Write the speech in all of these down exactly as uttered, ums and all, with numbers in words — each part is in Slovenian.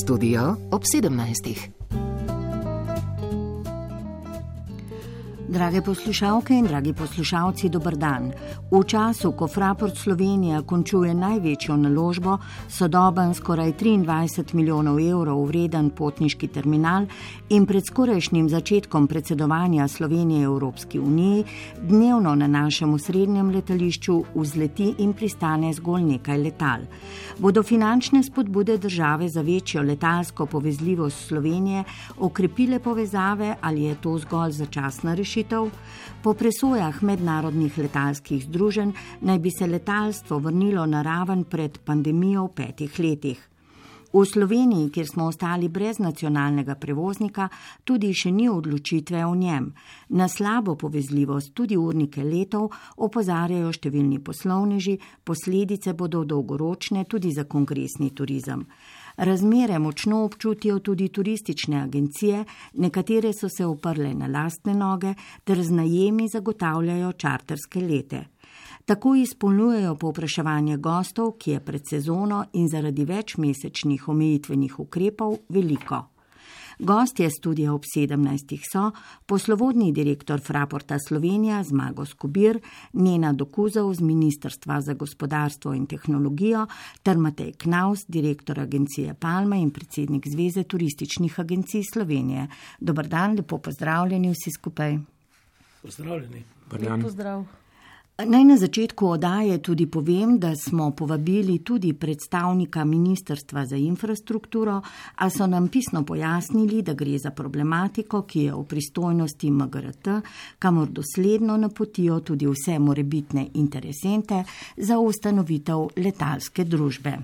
Studio ob sedemnajstih. Drage poslušalke in dragi poslušalci, dober dan. V času, ko Fraport Slovenija končuje največjo naložbo, sodoben skoraj triindvajset milijonov evrov vreden potniški terminal in pred skorajšnjim začetkom predsedovanja Slovenije Evropski uniji, dnevno na našem osrednjem letališču vzleti in pristane zgolj nekaj letal. Bodo finančne spodbude države za večjo letalsko povezljivost Slovenije okrepile povezave ali je to zgolj začasna rešitev? Po presojah mednarodnih letalskih združenj naj bi se letalstvo vrnilo na raven pred pandemijo v petih letih. V Sloveniji, kjer smo ostali brez nacionalnega prevoznika, tudi še ni odločitve o njem. Na slabo povezljivost, tudi urnike letov, opozarjajo številni poslovneži, posledice bodo dolgoročne tudi za kongresni turizem. Razmere močno občutijo tudi turistične agencije, nekatere so se oprle na lastne noge ter z najemi zagotavljajo čarterske lete. Tako izpolnjujejo povpraševanje gostov, ki je pred sezono in zaradi večmesečnih omejitvenih ukrepov veliko. Gostje studia ob sedemnajstih so poslovodni direktor Fraporta Slovenija Zmago Skobir, Nena Dokuzov z Ministrstva za gospodarstvo in tehnologijo ter Matej Knaus, direktor agencije Palma in predsednik Zveze turističnih agencij Slovenije. Dobar dan, lepo pozdravljeni vsi skupaj. Pozdravljeni. Lep pozdrav. Naj na začetku oddaje tudi povem, da smo povabili tudi predstavnika Ministrstva za infrastrukturo, a so nam pisno pojasnili, da gre za problematiko, ki je v pristojnosti M G R T, kamor dosledno napotijo tudi vse morebitne interesente za ustanovitev letalske družbe.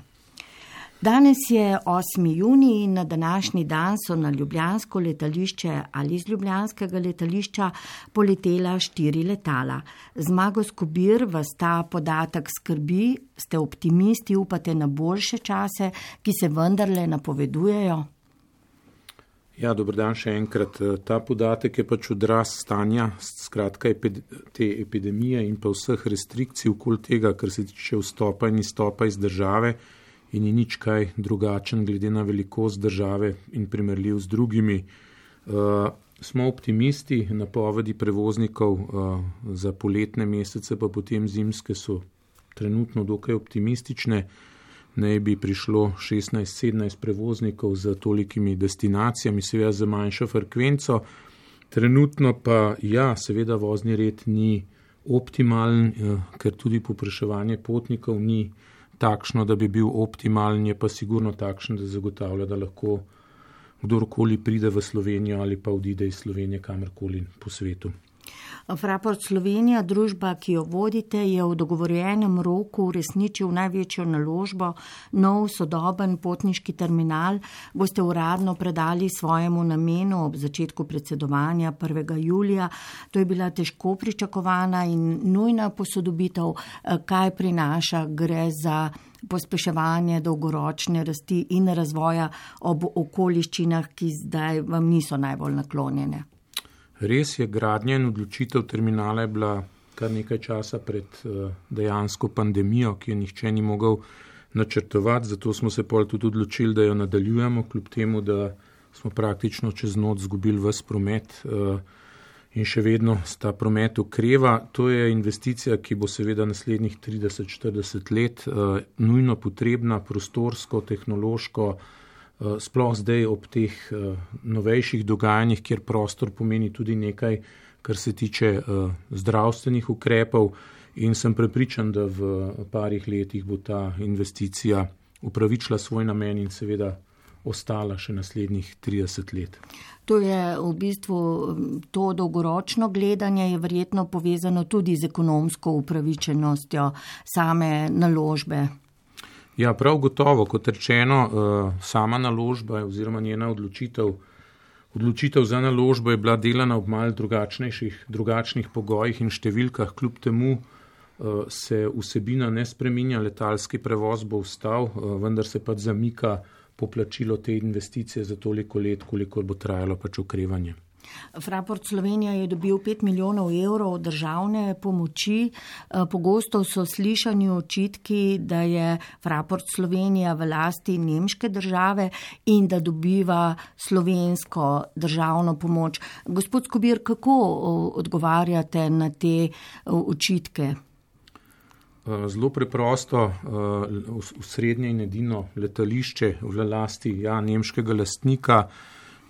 Danes je osmi junij in na današnji dan so na ljubljansko letališče ali z ljubljanskega letališča poletela štiri letala. Zmago Skobir, vas ta podatek skrbi, ste optimisti, upate na boljše čase, ki se vendarle napovedujejo? Ja, dober dan še enkrat. Ta podatek je pač odraz stanja, skratka te epidemije in pa vseh restrikcij okoli tega, kar se tiče vstopa in izstopa iz države, in ni nič kaj drugačen glede na velikost države in primerljiv z drugimi. Uh, smo optimisti, napovedi prevoznikov uh, za poletne mesece, pa potem zimske so trenutno dokaj optimistične. Naj bi prišlo šestnajst sedemnajst prevoznikov za tolikimi destinacijami, seveda za manjšo frekvenco. Trenutno pa, ja, seveda vozni red ni optimalen, uh, ker tudi povpraševanje potnikov ni takšno, da bi bil optimalen, je pa sigurno takšen, da zagotavlja, da lahko kdorkoli pride v Slovenijo ali pa odide iz Slovenije kamorkoli po svetu. Fraport Slovenija, družba, ki jo vodite, je v dogovorjenem roku uresničil največjo naložbo, nov sodoben potniški terminal. Boste uradno predali svojemu namenu ob začetku predsedovanja prvega julija. To je bila težko pričakovana in nujna posodobitev. Kaj prinaša? Gre za pospeševanje dolgoročne rasti in razvoja ob okoliščinah, ki zdaj vam niso najbolj naklonjene. Res je, gradnja in odločitev terminala je bila kar nekaj časa pred dejansko pandemijo, ki jo nihče ni mogel načrtovati, zato smo se pol tudi odločili, da jo nadaljujemo, kljub temu, da smo praktično čez noč zgubili ves promet in še vedno sta promet okreva. To je investicija, ki bo seveda naslednjih trideset štirideset let nujno potrebna, prostorsko, tehnološko, sploh zdaj ob teh novejših dogajanjih, kjer prostor pomeni tudi nekaj, kar se tiče zdravstvenih ukrepov in sem prepričan, da v parih letih bo ta investicija upravičila svoj namen in seveda ostala še naslednjih trideset let. To je v bistvu, to dolgoročno gledanje je verjetno povezano tudi z ekonomsko upravičenostjo same naložbe. Ja, prav gotovo, kot rečeno, sama naložba oziroma njena odločitev, odločitev za naložbo je bila delana ob malo drugačnejših, drugačnih pogojih in številkah. Kljub temu se vsebina ne spreminja, letalski prevoz bo ostal, vendar se pač zamika poplačilo te investicije za toliko let, koliko bo trajalo pač okrevanje. Fraport Slovenija je dobil pet milijonov evrov državne pomoči. Pogosto so slišani očitki, da je Fraport Slovenija v lasti nemške države in da dobiva slovensko državno pomoč. Gospod Skobir, kako odgovarjate na te očitke? Zelo preprosto, v srednje in edino letališče v lasti ja, nemškega lastnika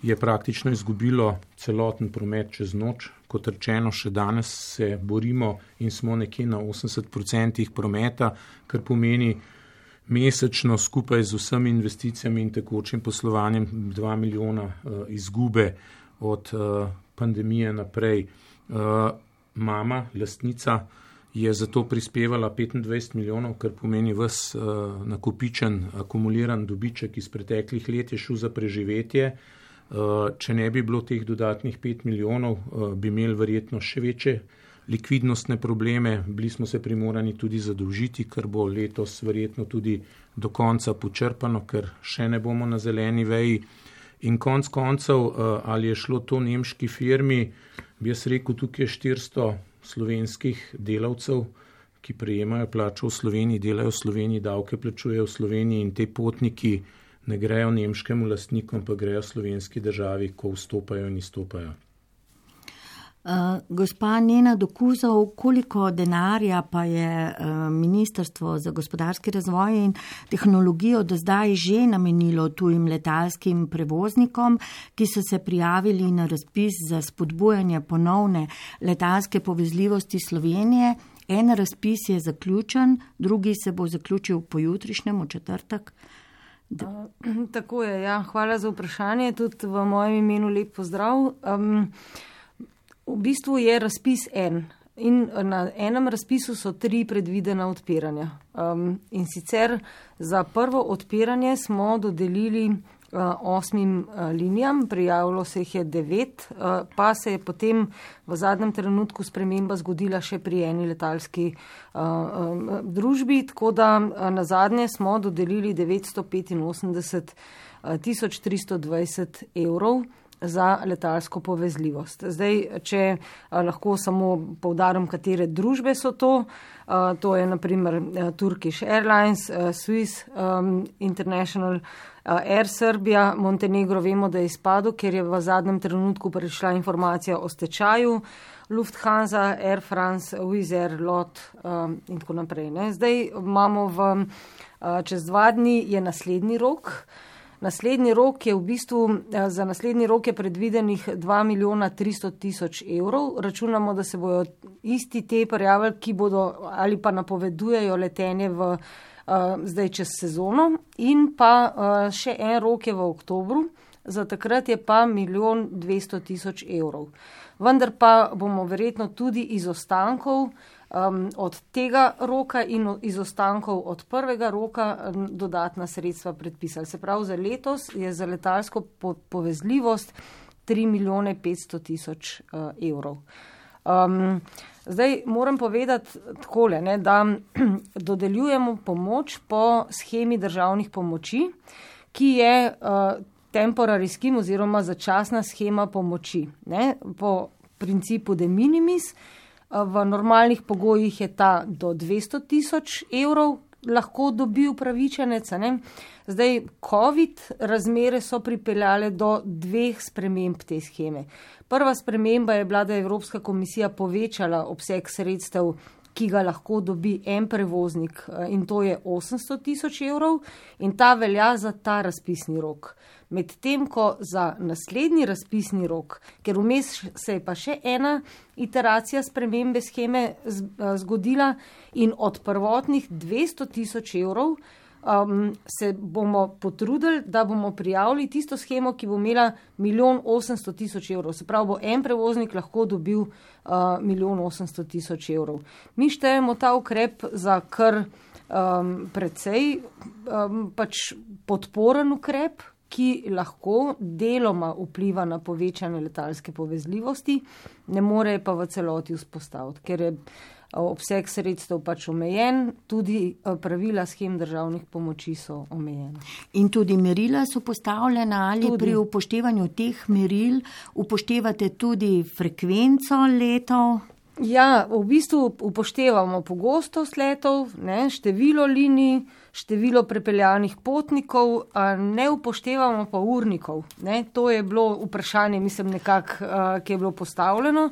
je praktično izgubilo celoten promet čez noč. Kot rečeno, še danes se borimo in smo nekje na osemdeset odstotkov prometa, kar pomeni mesečno skupaj z vsemi investicijami in tekočim poslovanjem dva milijona uh, izgube od uh, pandemije naprej. Uh, mama, lastnica, je zato prispevala petindvajset milijonov, kar pomeni ves uh, nakopičen, akumuliran dobiček iz preteklih let je šel za preživetje. Če ne bi bilo teh dodatnih pet milijonov, bi imeli verjetno še večje likvidnostne probleme. Bili smo se primorani tudi zadolžiti, kar bo letos verjetno tudi do konca počrpano, ker še ne bomo na zeleni veji. In konc koncev, ali je šlo to nemški firmi, bi jaz rekel, tukaj je štiristo slovenskih delavcev, ki prejemajo plačo v Sloveniji, delajo v Sloveniji, davke plačujejo v Sloveniji in te potniki ne grejo nemškemu lastnikom, pa grejo slovenski državi, ko vstopajo in izstopajo. Uh, gospa Nena Dokuzov, koliko denarja pa je uh, Ministrstvo za gospodarski razvoj in tehnologijo do zdaj že namenilo tujim letalskim prevoznikom, ki so se prijavili na razpis za spodbujanje ponovne letalske povezljivosti Slovenije? En razpis je zaključen, drugi se bo zaključil pojutrišnjem, v četrtek. Uh, tako je, ja. Hvala za vprašanje. Tudi v mojem imenu lep pozdrav. Um, v bistvu je razpis en in na enem razpisu so tri predvidena odpiranja. Um, in sicer za prvo odpiranje smo dodelili uh, osmim uh, linijam, prijavilo se jih je devet, uh, pa se je potem v zadnjem trenutku sprememba zgodila še pri eni letalski uh, um, družbi, tako da uh, na zadnje smo dodelili devetsto petinosemdeset tisoč tristo dvajset evrov za letalsko povezljivost. Zdaj, če a, lahko samo poudarim, katere družbe so to, a, to je naprimer a, Turkish Airlines, a, Swiss um, International, a, Air Serbia, Montenegro vemo, da je izpadel, ker je v zadnjem trenutku prišla informacija o stečaju, Lufthansa, Air France, Wizz Air, Lot um, in tako naprej. Ne. Zdaj imamo v, a, čez dva dni je naslednji rok. Naslednji rok je v bistvu, za naslednji rok je predvidenih dva milijona tristo tisoč evrov. Računamo, da se bojo isti te prijavili, ki bodo ali pa napovedujejo letenje v, uh, zdaj čez sezono. In pa uh, še en rok je v oktobru, za takrat je pa milijon dvesto tisoč evrov. Vendar pa bomo verjetno tudi iz ostankov Um, od tega roka in iz ostankov od prvega roka um, dodatna sredstva predpisali. Se pravi, za letos je za letalsko po- povezljivost tri milijone petsto tisoč uh, evrov. Um, zdaj moram povedati takole, ne, da dodeljujemo pomoč po schemi državnih pomoči, ki je uh, temporary scheme oziroma začasna schema pomoči, ne, po principu de minimis. V normalnih pogojih je ta do dvesto tisoč evrov lahko dobi upravičenec. Ne? Zdaj, COVID razmere so pripeljale do dveh sprememb te scheme. Prva sprememba je bila, da je Evropska komisija povečala obseg sredstev, ki ga lahko dobi en prevoznik, in to je osemsto tisoč evrov, in ta velja za ta razpisni rok. Medtem ko za naslednji razpisni rok, ker vmes se je pa še ena iteracija spremembe scheme zgodila in od prvotnih dvesto tisoč evrov um, se bomo potrudili, da bomo prijavili tisto schemo, ki bo imela milijon osemsto tisoč evrov. Se pravi, bo en prevoznik lahko dobil uh, milijon osemsto tisoč evrov. Mi štejemo ta ukrep za kar um, precej um, pač podporen ukrep, ki lahko deloma vpliva na povečanje letalske povezljivosti, ne more pa v celoti vzpostaviti, ker je obseg sredstev pač omejen, tudi pravila shem državnih pomoči so omejene. In tudi merila so postavljena, ali tudi pri upoštevanju teh meril upoštevate tudi frekvenco letov? Ja, v bistvu upoštevamo pogostost letov, ne, število linij, število prepeljanih potnikov, a ne upoštevamo pa urnikov. Ne. To je bilo vprašanje, mislim, nekako, ki je bilo postavljeno.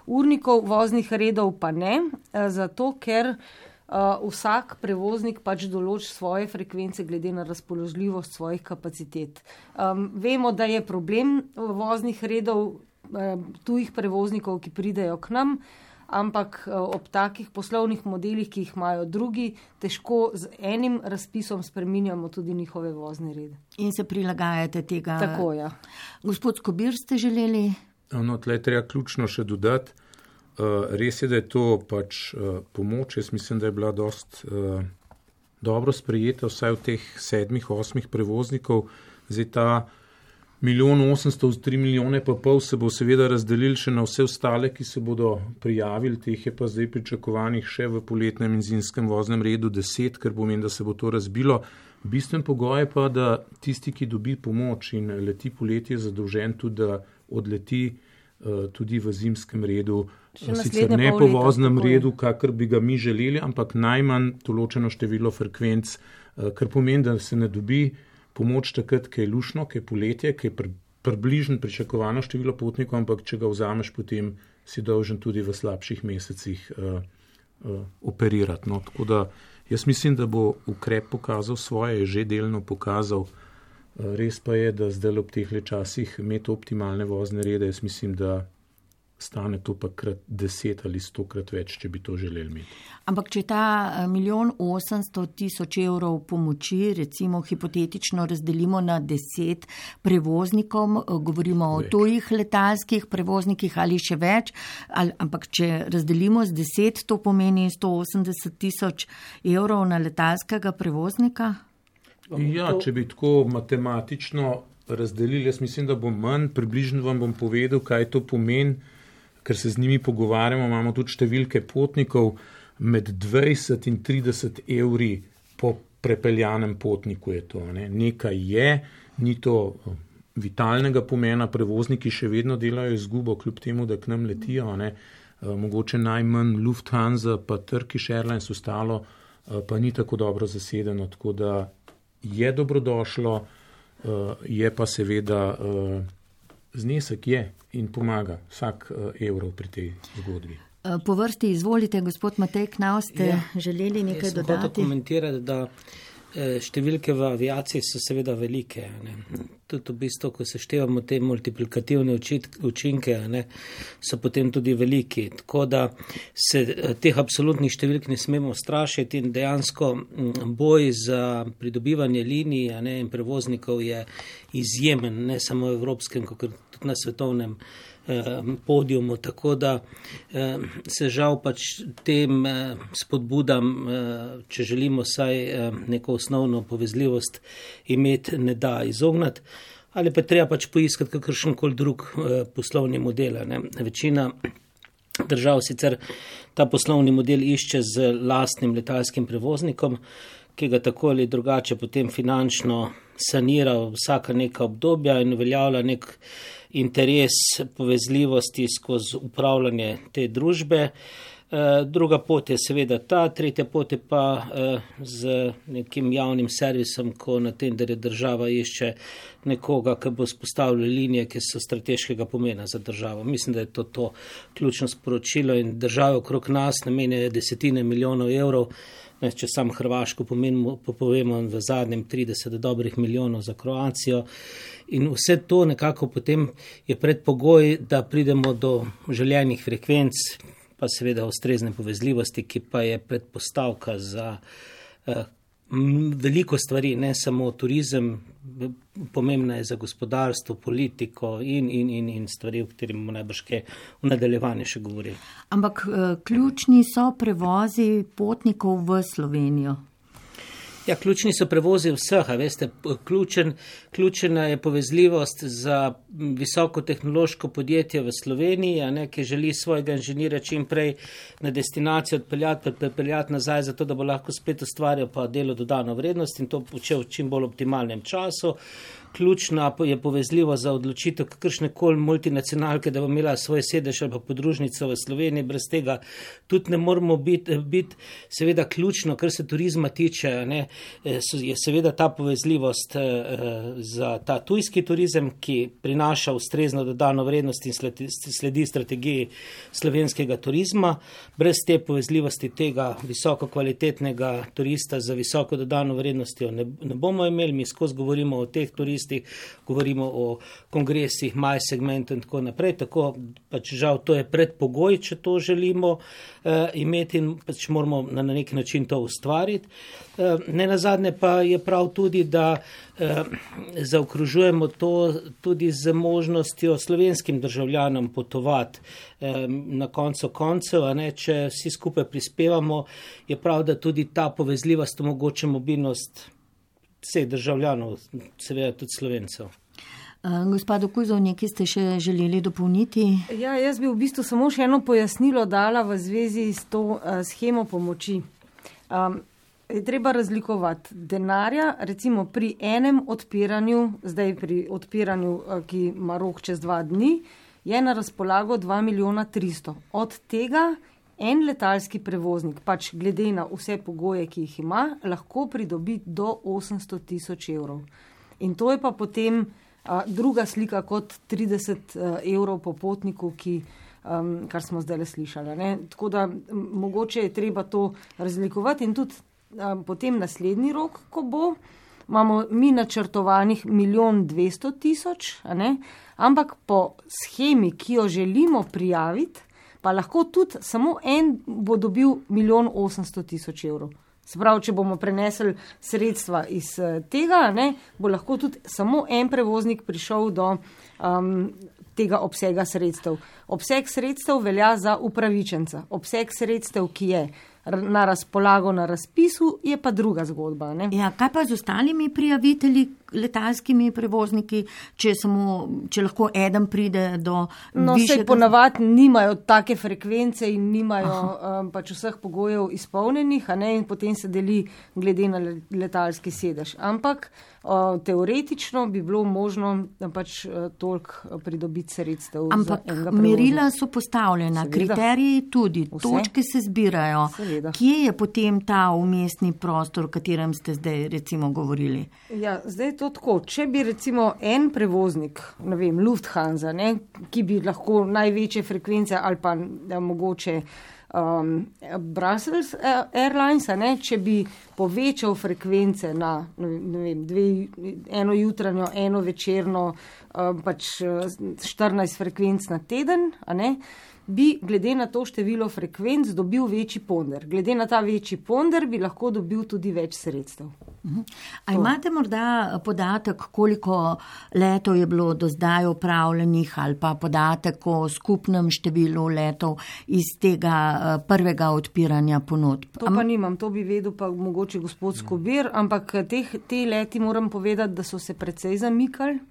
Urnikov voznih redov pa ne, zato ker uh, vsak prevoznik pač določi svoje frekvence glede na razpoložljivost svojih kapacitet. Um, vemo, da je problem voznih redov uh, tujih prevoznikov, ki pridejo k nam, ampak uh, ob takih poslovnih modelih, ki jih imajo drugi, težko z enim razpisom spreminjamo tudi njihove vozne rede. In se prilagajate tega. Tako, ja. Gospod Skobir, ste želeli? No, tle treba ključno še dodati. Uh, res je, da je to pač uh, pomoč. Jaz mislim, da je bila dost uh, dobro sprejeta vsaj v teh sedmih, osmih prevoznikov. Zdaj ta milijon osemsto, tri milijone pa pol se bo seveda razdelil še na vse ostale, ki se bodo prijavili. Teh je pa zdaj pričakovanih še v poletnem in zimskem voznem redu deset, ker pomeni, da se bo to razbilo. Bistven pogoj je pa, da tisti, ki dobi pomoč in leti poletje, je zadolžen tudi, da odleti uh, tudi v zimskem redu. Sicer ne po voznem redu, kakor bi ga mi želeli, ampak najmanj določeno število frekvenc, kar pomeni, da se ne dobi pomoč takrat, ki je lušno, ki je poletje, ki je približno pričakovano število potnikov, ampak če ga vzameš, potem si dolžen tudi v slabših mesecih uh, uh, operirati. No, tako da jaz mislim, da bo ukrep pokazal svoje, je že delno pokazal. Uh, res pa je, da zdaj ob teh časih imeti optimalne vozne rede, jaz mislim, da stane to pa krat deset ali stokrat več, če bi to želeli imeti. Ampak če ta milijon osemsto tisoč evrov pomoči, recimo hipotetično razdelimo na deset prevoznikom, govorimo več. O tujih letalskih prevoznikih ali še več, ali, ampak če razdelimo z deset, to pomeni sto osemdeset tisoč evrov na letalskega prevoznika? Ja, če bi tako matematično razdelili, jaz mislim, da bo manj, približno vam bom povedal, kaj to pomeni, ker se z njimi pogovarjamo, imamo tudi številke potnikov med dvajset in trideset evri po prepeljanem potniku je to. Ne. Nekaj je, ni to vitalnega pomena, prevozniki še vedno delajo izgubo, kljub temu, da k nam letijo. Ne. Mogoče najmanj Lufthansa pa Turkish Airlines ostalo, pa ni tako dobro zasedeno, tako da je dobrodošlo, je pa seveda znesek je in pomaga vsak evro pri tej zgodbi. Po vrsti izvolite, gospod Matej Knavs, ste ja, želeli nekaj dodati? Jaz sem hotel komentirati, da številke v aviaciji so seveda velike. Ne. Tudi v bistvu, ko se števamo te multiplikativne učinke, ne, so potem tudi veliki. Tako da se teh absolutnih številk ne smemo strašiti in dejansko boj za pridobivanje linij ne, in prevoznikov je izjemen, ne samo v evropskem, kot tudi na svetovnem podiumu, tako da se žal pač tem spodbudam, če želimo saj neko osnovno povezljivost imeti, ne da izognati, ali pa treba pač poiskati kakršenkoli drug poslovni model. Ne. Večina držav sicer ta poslovni model išče z lastnim letalskim prevoznikom, ki ga tako ali drugače potem finančno sanira vsaka neka obdobja in uveljavlja nek interes povezljivosti skozi upravljanje te družbe. Druga pot je seveda ta, tretja pot je pa z nekim javnim servisom, ko na tenderje država išče nekoga, ki bo spostavljal linije, ki so strateškega pomena za državo. Mislim, da je to to ključno sporočilo in države okrog nas namenjajo desetine milijonov evrov. Če sam Hrvaško pomenimo, povemo v zadnjem trideset dobrih milijonov za Kroacijo in vse to nekako potem je predpogoj, da pridemo do željenih frekvenc, pa seveda ustrezne povezljivosti, ki pa je predpostavka za eh, veliko stvari, ne samo turizem, pomembna je za gospodarstvo, politiko in, in, in, in stvari, o katerih bomo najbrž kaj v nadaljevanju še govorili. Ampak ključni so prevozi potnikov v Slovenijo. Ja, ključni so prevozi vseh, a veste, ključen, ključena je povezljivost za visokotehnološko podjetje v Sloveniji, a ne, ki želi svojega inženirja čim prej na destinacijo odpeljati, prepeljati nazaj, zato da bo lahko spet ustvarjal pa delo dodano vrednost in to počel v čim bolj optimalnem času. Ključna je povezljivo za odločitev kakršne koli multinacionalke, da bo imela svoj sedež ali pa podružnico v Sloveniji. Brez tega tudi ne moramo biti, biti seveda ključno, kar se turizma tiče, ne, je seveda ta povezljivost za ta tujski turizem, ki prinaša ustrezno dodano vrednost in sledi, sledi strategiji slovenskega turizma. Brez te povezljivosti tega visoko kvalitetnega turista za visoko dodano vrednostjo ne, ne bomo imeli. Mi skozi govorimo o teh turistih, govorimo o kongresih, maj segmentu in tako naprej, tako pač žal to je predpogoj, če to želimo uh, imeti in pač moramo na, na neki način to ustvariti. Uh, ne nazadnje pa je prav tudi, da uh, zaokružujemo to tudi z možnostjo slovenskim državljanom potovati um, na koncu koncev, a ne, če vsi skupaj prispevamo, je prav, da tudi ta povezljivost omogoča mobilnost vseh državljanov, seveda tudi Slovencev. Gospod Kuzov, nekaj ste še želeli dopolniti? Ja, jaz bi v bistvu samo še eno pojasnilo dala v zvezi s to uh, shemo pomoči. Um, je treba razlikovati denarja, recimo pri enem odpiranju, zdaj pri odpiranju, uh, ki ima rok čez dva dni, je na razpolago dva milijona tristo. Od tega en letalski prevoznik, pač glede na vse pogoje, ki jih ima, lahko pridobi do osemsto tisoč evrov. In to je pa potem a, druga slika kot trideset a, evrov po potniku, ki, a, kar smo zdaj le slišali. Ne? Tako da m, mogoče je treba to razlikovati in tudi a, potem naslednji rok, ko bo, imamo mi načrtovanih milijon dvesto tisoč, ampak po shemi, ki jo želimo prijaviti, pa lahko tudi samo en bo dobil milijon osemsto tisoč evrov. Se pravi, če bomo prenesli sredstva iz tega, ne, bo lahko tudi samo en prevoznik prišel do um, tega obsega sredstev. Obseg sredstev velja za upravičenca. Obseg sredstev, ki je na razpolago na razpisu, je pa druga zgodba. Ne? Ja, kaj pa z ostalimi prijavitelji, letalskimi prevozniki, če, samo, če lahko eden pride do... No, višjega... se ponavadi nimajo take frekvence in nimajo um, pač vseh pogojev izpolnjenih, a ne, in potem se deli glede na letalski sedež. Ampak uh, teoretično bi bilo možno pač uh, toliko pridobiti sredstev. Ampak merila so postavljena, seveda, kriteriji tudi, vse, točke se zbirajo. Seveda. Kje je potem ta umestni prostor, o katerem ste zdaj recimo govorili? Ja, zdaj je to tako. Če bi recimo en prevoznik, ne vem, Lufthansa, ne, ki bi lahko največje frekvence ali pa da, mogoče um, Brussels Airlines, ne, če bi povečal frekvence na ne vem, dve, eno jutranjo, eno večerno, um, pač štirinajst frekvenc na teden, a ne, bi glede na to število frekvenc dobil večji ponder. Glede na ta večji ponder bi lahko dobil tudi več sredstev. A imate morda podatek, koliko letov je bilo do zdaj opravljenih ali pa podatek o skupnem številu letov iz tega prvega odpiranja ponudb? To pa nimam, to bi vedel pa mogoče gospod Skobir, ampak teh, te leti moram povedati, da so se precej zamikali,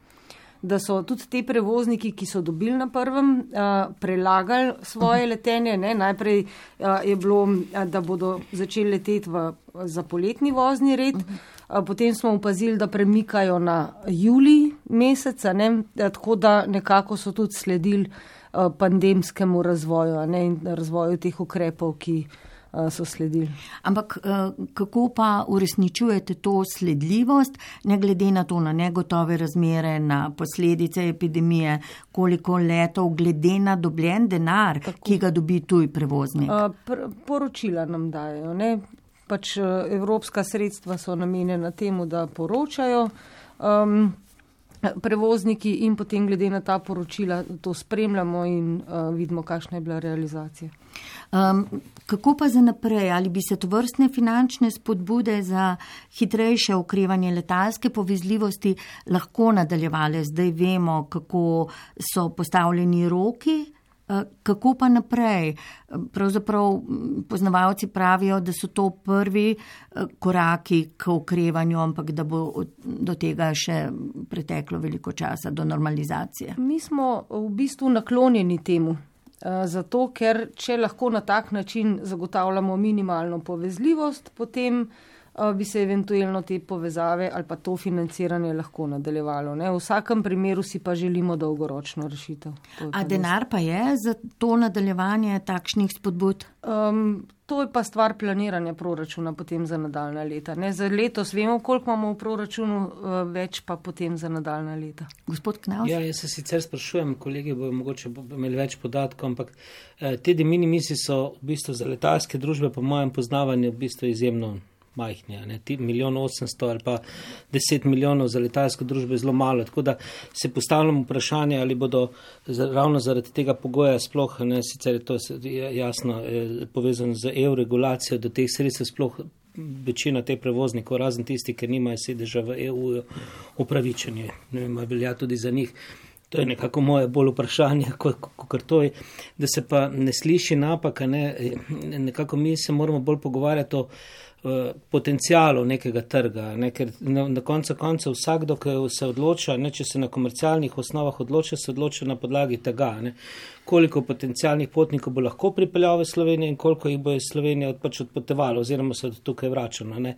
da so tudi te prevozniki, ki so dobili na prvem, uh, prelagali svoje letenje. Ne? Najprej uh, je bilo, da bodo začeli leteti v, za poletni vozni red, uh, potem smo opazili, da premikajo na julij meseca, ne? Tako da nekako so tudi sledili uh, pandemskemu razvoju, ne? In razvoju teh ukrepov, ki so sledili. Ampak kako pa uresničujete to sledljivost, ne glede na to, na negotove razmere, na posledice epidemije, koliko letov glede na dobljen denar, tako, ki ga dobi tuj prevoznik? Pr- poročila nam dajo, ne? Pač evropska sredstva so namenjena temu, da poročajo um, prevozniki in potem glede na ta poročila to spremljamo in uh, vidimo, kakšna je bila realizacija. Um, kako pa za naprej? Ali bi se tovrstne finančne spodbude za hitrejše okrevanje letalske povezljivosti lahko nadaljevale? Zdaj vemo, kako so postavljeni roki Kako pa naprej? Pravzaprav poznavalci pravijo, da so to prvi koraki k okrevanju, ampak da bo do tega še preteklo veliko časa, do normalizacije. Mi smo v bistvu naklonjeni temu, zato ker če lahko na tak način zagotavljamo minimalno povezljivost, potem bi se eventualno te povezave ali pa to financiranje lahko nadaljevalo. Ne? V vsakem primeru si pa želimo dolgoročno rešitev. A denar pa je za to nadaljevanje takšnih spodbud? Um, to je pa stvar planiranja proračuna potem za nadaljna leta. Ne? Za letos vemo, koliko imamo v proračunu, več pa potem za nadaljna leta. Gospod Knavs? Ja, jaz se sicer sprašujem, kolegi bojo mogoče imeli več podatkov, ampak eh, te de minimisi so v bistvu za letalske družbe po mojem poznavanju v bistvu izjemno majhni, ne, milijon osemsto ali pa deset milijonov za letalsko družbo je zelo malo, tako da se postavljamo vprašanje, ali bodo ravno zaradi tega pogoja sploh, ne, sicer je to jasno je povezano z E U regulacijo, do teh sredstev sploh večina teh prevoznikov, razen tisti, ker nimajo sedeža v E U, upravičenje, ne vem, velja tudi za njih. To je nekako moje bolj vprašanje, kot to je, da se pa ne sliši napaka, ne, nekako mi se moramo bolj pogovarjati o potencijalu nekega trga, ne, ker na, na koncu konca vsakdo, ki se odloča, ne, če se na komercialnih osnovah odloča, se odloča na podlagi tega, ne, koliko potencijalnih potnikov bo lahko pripeljal v Slovenijo in koliko jih bo iz Slovenije pač odpotovalo oziroma se od tukaj vračalo. Ne.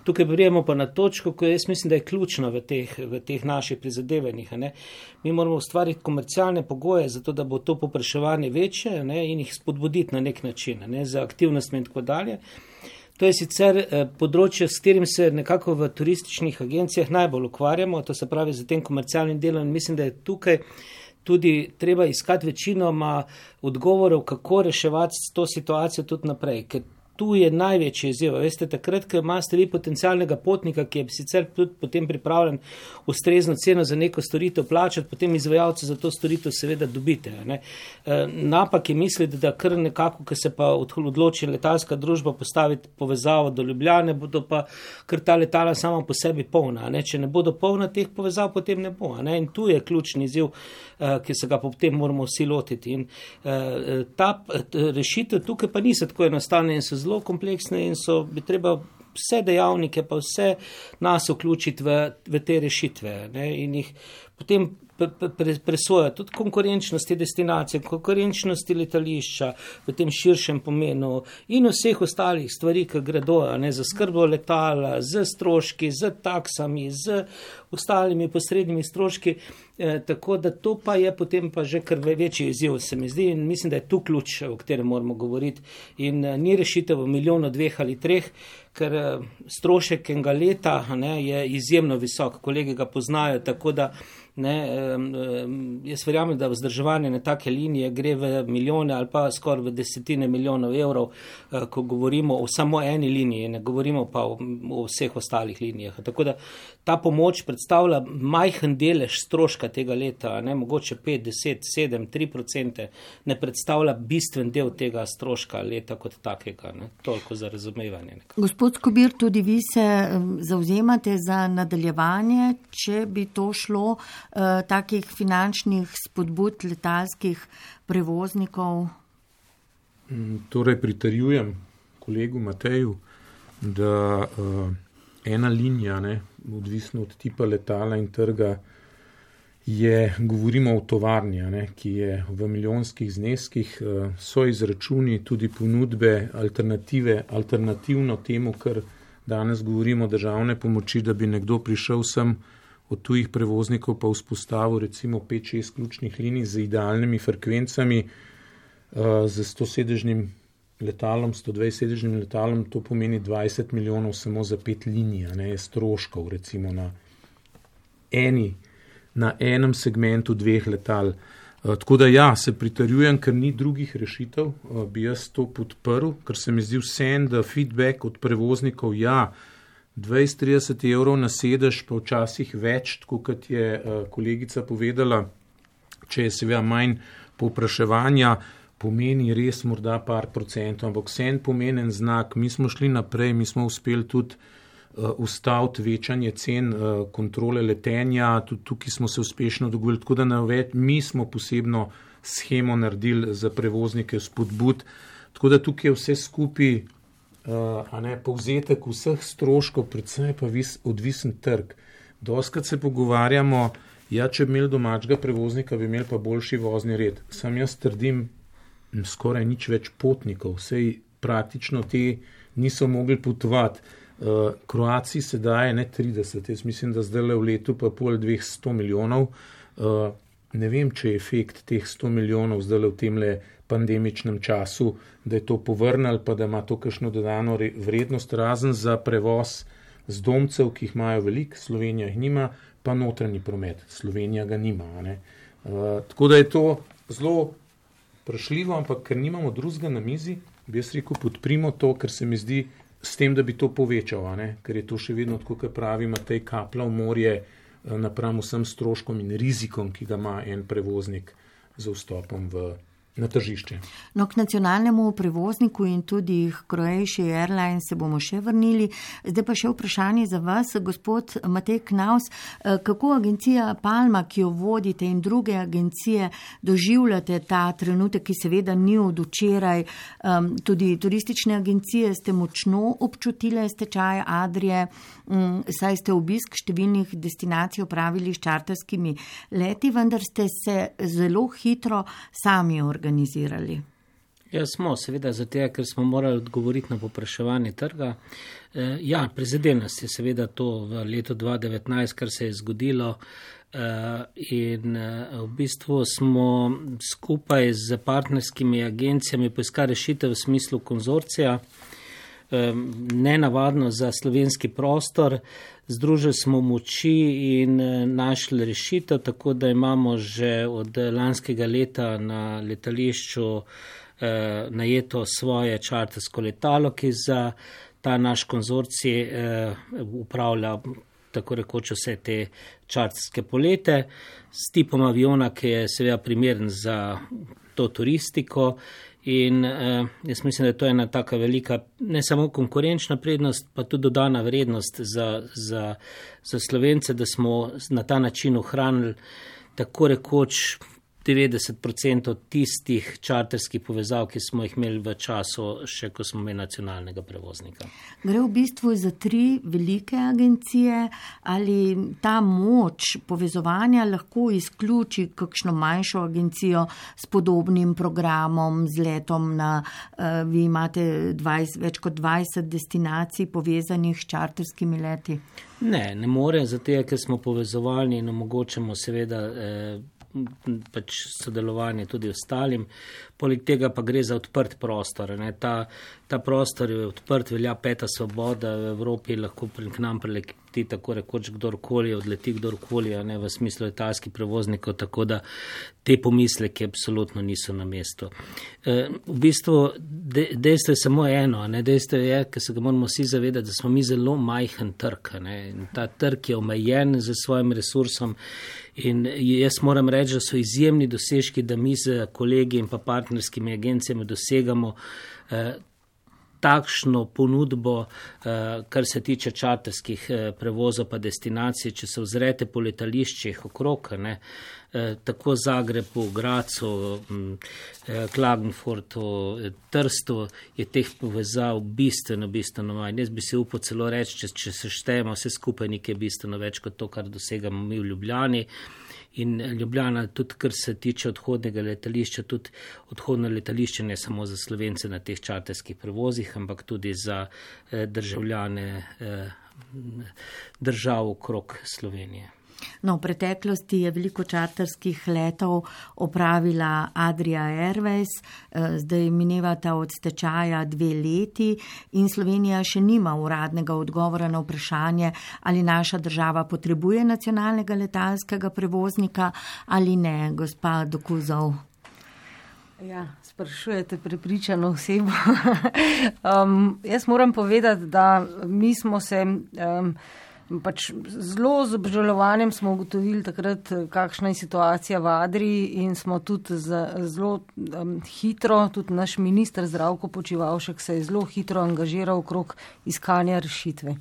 Tukaj prijemo pa na točko, ko jaz mislim, da je ključno v teh, v teh naših prizadevanjih. Ne. Mi moramo ustvariti komercialne pogoje, zato da bo to povpraševanje večje, ne, in jih spodbuditi na nek način, ne, za aktivnostmi in tako dalje. To je sicer področje, s katerim se nekako v turističnih agencijah najbolj ukvarjamo, to se pravi za tem komercialnim delom, in mislim, da je tukaj tudi treba iskati večinoma odgovorov, kako reševati to situacijo tudi naprej, ker tu je največji izziv. Veste, takrat, ko imate vi potencialnega potnika, ki je sicer tudi potem pripravljen ustrezno ceno za neko storitev plačati, potem izvajalce za to storitev seveda dobite. Ne. Napak je misliti, da kar nekako, ko se pa odloči letalska družba postaviti povezavo do Ljubljane, bodo pa kar ta letala sama po sebi polna. Ne. Če ne bodo polna teh povezav, potem ne bo. Ne. In tu je ključni izziv, ki se ga potem moramo vsi lotiti. In ta rešitev tukaj pa niso tako enostavne in so zelo kompleksne in so bi treba vse dejavnike pa vse nas vključiti v, v te rešitve, ne, in jih potem presojati tudi konkurenčnosti destinacije, konkurenčnosti letališča v tem širšem pomenu in vseh ostalih stvari, ki gredo, ne, za skrbo letala, z stroški, z taksami, z ostalimi posrednimi stroški, eh, tako da to pa je potem pa že kar večji izziv, se mi zdi, in mislim, da je tu ključ, o katerem moramo govoriti, in eh, ni rešitev v milijonu, dveh ali treh, ker eh, strošek enega leta, ne, je izjemno visok, kolegi ga poznajo, tako da ne, jaz verjamem, da vzdrževanje na take linije gre v milijone ali pa skoraj v desetine milijonov evrov, ko govorimo o samo eni liniji, ne govorimo pa o, o vseh ostalih linijah. Tako da ta pomoč predstavlja majhen delež stroška tega leta, ne, mogoče pet, deset, sedem, tri procente, ne predstavlja bistven del tega stroška leta kot takega. Ne. Toliko za razumevanje. Nekako. Gospod Skobir, tudi vi se zavzemate za nadaljevanje, če bi to šlo Uh, takih finančnih spodbud letalskih prevoznikov? Torej pritrjujem kolegu Mateju, da uh, ena linija, ne, odvisno od tipa letala in trga, je, govorimo o tovarni, ne, ki je v milijonskih zneskih, uh, so izračuni tudi ponudbe alternative, alternativno temu, kar danes govorimo državne pomoči, da bi nekdo prišel sem od tujih prevoznikov pa vzpostavil recimo pet šest ključnih linij z idealnimi frekvencami, uh, z stosedežnim letalom, sto dvajset sedežnim letalom, to pomeni dvajset milijonov samo za pet linij, ne, stroškov recimo na, eni, na enem segmentu dveh letal. Uh, tako da ja, se pritrjujem, ker ni drugih rešitev, uh, bi jaz to podprl, ker se mi zdi vsem, da feedback od prevoznikov, ja, dvajset trideset evrov na sedež, pa včasih več, tako kot je uh, kolegica povedala, če je seveda manj povpraševanja, pomeni res morda par procentov, ampak vsem pomenen znak. Mi smo šli naprej, mi smo uspeli tudi uh, ustaviti večanje cen uh, kontrole letenja, tudi tukaj smo se uspešno dogovorili, tako da naveč, mi smo posebno shemo naredili za prevoznike spodbud. Tako da tukaj je vse skupaj, uh, a ne, povzetek vseh stroškov, predvsem pa vis, odvisen trg. Doskrat se pogovarjamo, ja, če bi imeli domačega prevoznika, bi imeli pa boljši vozni red. Sam jaz trdim, skoraj nič več potnikov, sej praktično te niso mogli potovati. Uh, Kroaciji se daje ne trideset, jaz mislim, da zdaj le v letu pa pol dveh sto milijonov. Uh, ne vem, če je efekt teh sto milijonov zdaj le v temle pandemičnem času, da je to povrnil, pa da ima to kakšno dodano vrednost, razen za prevoz zdomcev, ki jih imajo veliko, Slovenija jih nima, pa notranji promet, Slovenija ga nima. Ne? Uh, tako da je to zelo vprašljivo, ampak ker nimamo drugega na mizi, bi jaz rekel, podprimo to, ker se mi zdi, s tem, da bi to povečal, ne? Ker je to še vedno, tako kot pravi Matej, kapla v morje napram vsem stroškom in rizikom, ki ga ima en prevoznik za vstopom v, na tržišče. No, k nacionalnemu prevozniku in tudi k Croatia Airlines se bomo še vrnili. Zdaj pa še vprašanje za vas, gospod Matej Knaus. Kako agencija Palma, ki jo vodite, in druge agencije doživljate ta trenutek, ki seveda ni od včeraj? Um, tudi turistične agencije ste močno občutile stečaj Adrie, um, saj ste obisk številnih destinacij opravili s čarterskimi leti, vendar ste se zelo hitro sami organizirali. organizirali. Ja, smo, seveda, zato, ker smo morali odgovoriti na povpraševanje trga. E, ja, prizadene nas je seveda to v letu dva tisoč devetnajst, kar se je zgodilo, e, in e, v bistvu smo skupaj z partnerskimi agencijami poiskali rešitev v smislu konzorcija, e, nenavadno za slovenski prostor. Združili smo moči in našli rešitev, tako da imamo že od lanskega leta na letališču eh, najeto svoje čartersko letalo, ki za ta naš konzorcij eh, upravlja tako rekoč vse te čarterske polete s tipom aviona, ki je seveda primeren za to turistiko. In eh, jaz mislim, da je to ena taka velika, ne samo konkurenčna prednost, pa tudi dodana vrednost za, za, za Slovence, da smo na ta način ohranili tako rekoč devetdeset procentov tistih čarterskih povezav, ki smo jih imeli v času, še ko smo imeli nacionalnega prevoznika. Gre v bistvu za tri velike agencije, ali ta moč povezovanja lahko izključi kakšno manjšo agencijo s podobnim programom, z letom na, uh, vi imate dvajset, več kot dvajset destinacij povezanih s čarterskimi leti? Ne, ne more, zato je, ker smo povezovali in omogočamo seveda eh, pač sodelovanje tudi ostalim. Poleg tega pa gre za odprt prostor. Ne? Ta, ta prostor je odprt, velja peta svoboda, v Evropi lahko k nam prileti tako rekoč kdorkoli, odleti kdorkoli, a ne v smislu letalskih prevoznikov, tako da te pomisleke absolutno niso na mestu. E, v bistvu de, dejstvo je samo eno, ne? Dejstvo je, ker se ga moramo vsi zavedati, da smo mi zelo majhen trg. Ne? In ta trg je omejen z svojim resursom. In jaz moram reči, da so izjemni dosežki, da mi z kolegi in pa partnerskimi agencijami dosegamo eh, takšno ponudbo, eh, kar se tiče čarterskih eh, prevozov pa destinacij. Če se ozrete po letališčih okrog, ne, eh, tako Zagrebu, Gracu, eh, Klagenfurtu, eh, Trstu, je teh povezav bistveno, bistveno manj. Jaz bi se upal celo reči, če, če se štejemo vse skupaj, nekaj bistveno več kot to, kar dosegamo mi v Ljubljani. In Ljubljana, tudi kar se tiče odhodnega letališča, tudi odhodno letališče ne samo za Slovence na teh čarterskih prevozih, ampak tudi za eh, državljane eh, držav okrog Slovenije. No, v preteklosti je veliko čarterskih letov opravila Adria Airways, zdaj minevata od stečaja dve leti in Slovenija še nima uradnega odgovora na vprašanje, ali naša država potrebuje nacionalnega letalskega prevoznika ali ne, gospa Dokuzov. Ja, sprašujete prepričano osebo. um, jaz moram povedati, da mi smo se... Um, Pač zelo z obžalovanjem smo ugotovili takrat, kakšna je situacija v Adriji in smo tudi zelo um, hitro, tudi naš minister Zdravko Počivalšek se je zelo hitro angažiral okrog iskanja rešitve.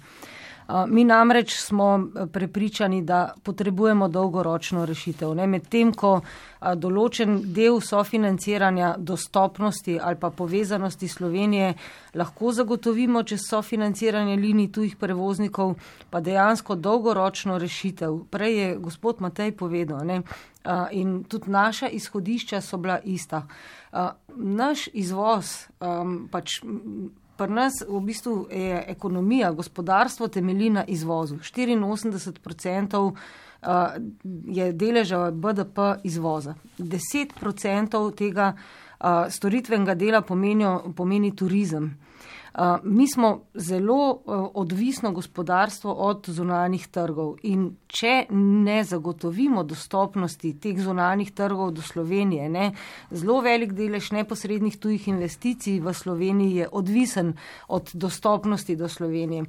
Mi namreč smo prepričani, da potrebujemo dolgoročno rešitev. Medtem, ko določen del sofinanciranja dostopnosti ali pa povezanosti Slovenije lahko zagotovimo čez sofinanciranje linij tujih prevoznikov, pa dejansko dolgoročno rešitev. Prej je gospod Matej povedal, ne? In tudi naša izhodišča so bila ista. Naš izvoz, pač pri nas v bistvu je ekonomija, gospodarstvo temelji na izvozu. štiriinosemdeset procentov je deleža B D P izvoza. deset procentov tega storitvenega dela pomenijo, pomeni turizem. Mi smo zelo odvisno gospodarstvo od zunanjih trgov in če ne zagotovimo dostopnosti teh zunanjih trgov do Slovenije, ne, zelo velik delež neposrednih tujih investicij v Sloveniji je odvisen od dostopnosti do Slovenije.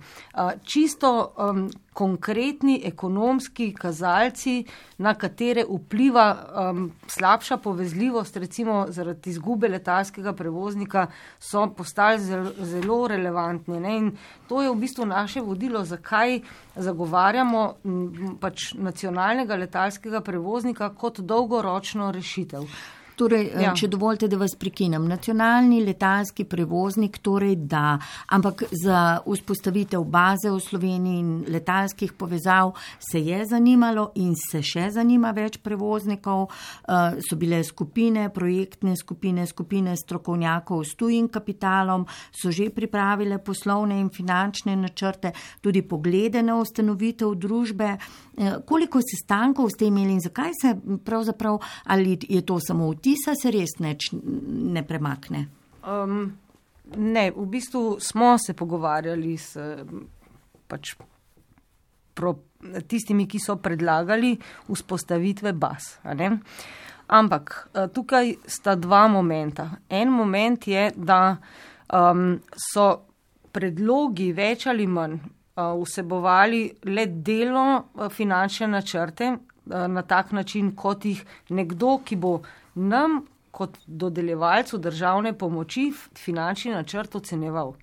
Čisto um, konkretni ekonomski kazalci, na katere vpliva um, slabša povezljivost, recimo zaradi izgube letalskega prevoznika, so postali zelo, zelo relevantni. Ne? In to je v bistvu naše vodilo, zakaj zagovarjamo m, pač nacionalnega letalskega prevoznika kot dolgoročno rešitev. Torej, ja. Če dovolite, da vas prekinem, nacionalni letalski prevoznik, torej da, ampak za vzpostavitev baze v Sloveniji in letalskih povezav se je zanimalo in se še zanima več prevoznikov, so bile skupine, projektne skupine, skupine strokovnjakov s tujim kapitalom, so že pripravile poslovne in finančne načrte, tudi poglede na ustanovitev družbe. Koliko sestankov ste imeli in zakaj se pravzaprav, ali je to samo vtis, se res neč ne premakne? Um, ne, v bistvu smo se pogovarjali s pač pro, tistimi, ki so predlagali vzpostavitve baz. A ne? Ampak tukaj sta dva momenta. En moment je, da um, so predlogi več ali manj vsebovali le delno finančne načrte na tak način, kot jih nekdo, ki bo nam kot dodeljevalcu državne pomoči finančni načrt oceneval.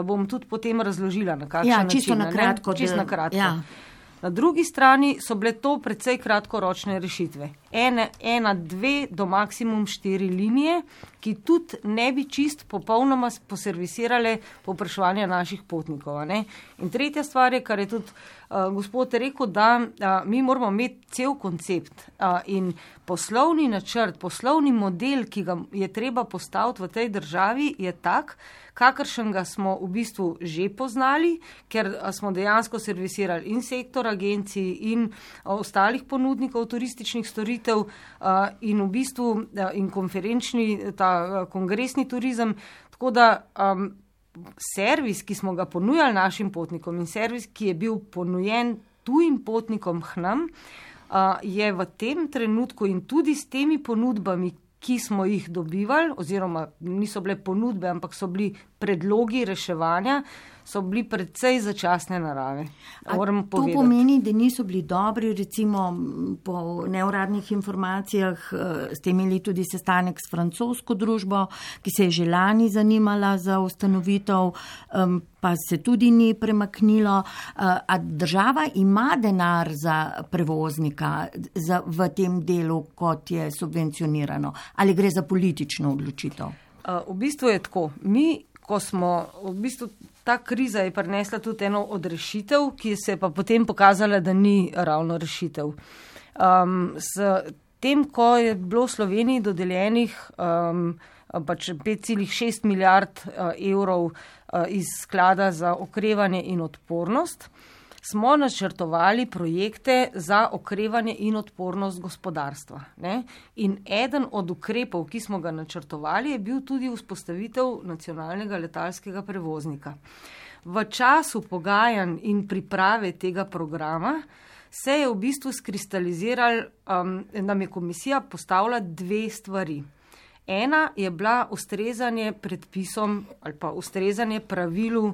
Bom tudi potem razložila, na kakšen ja, način. Čisto na kratko. Čisto na kratko. Ja. Na drugi strani so bile to precej kratkoročne rešitve. Ene, ena, dve do maksimum štiri linije, ki tudi ne bi čist popolnoma poservisirale povpraševanja naših potnikov. Ne? In tretja stvar je, kar je tudi uh, gospod rekel, da uh, mi moramo imeti cel koncept uh, in poslovni načrt, poslovni model, ki ga je treba postaviti v tej državi, je tak, kakršen ga smo v bistvu že poznali, ker smo dejansko servisirali in sektor agencij in ostalih ponudnikov turističnih storitev in v bistvu in konferenčni, ta kongresni turizem. Tako da um, servis, ki smo ga ponujali našim potnikom in servis, ki je bil ponujen tujim potnikom k nam, uh, je v tem trenutku in tudi s temi ponudbami, ki smo jih dobivali, oziroma niso bile ponudbe, ampak so bili predlogi reševanja, so bili predvsej začasne narave. Moram to povedati. Pomeni, da niso bili dobri, recimo po neuradnih informacijah ste imeli tudi sestanek s francosko družbo, ki se je že lani zanimala za ustanovitev, pa se tudi ni premaknilo. A država ima denar za prevoznika za, v tem delu, kot je subvencionirano? Ali gre za politično odločitev? V bistvu je tako. Mi, ko smo, v bistvu ta kriza je prinesla tudi eno od rešitev, ki se je pa potem pokazala, da ni ravno rešitev. Um, s tem, ko je bilo v Sloveniji dodeljenih um, pač pet celih šest milijard uh, evrov uh, iz sklada za okrevanje in odpornost, smo načrtovali projekte za okrevanje in odpornost gospodarstva. Ne? In eden od ukrepov, ki smo ga načrtovali, je bil tudi vzpostavitev nacionalnega letalskega prevoznika. V času pogajanj in priprave tega programa se je v bistvu skristaliziral, um, nam je komisija postavila dve stvari. Ena je bila ustrezanje predpisom ali pa ustrezanje pravilu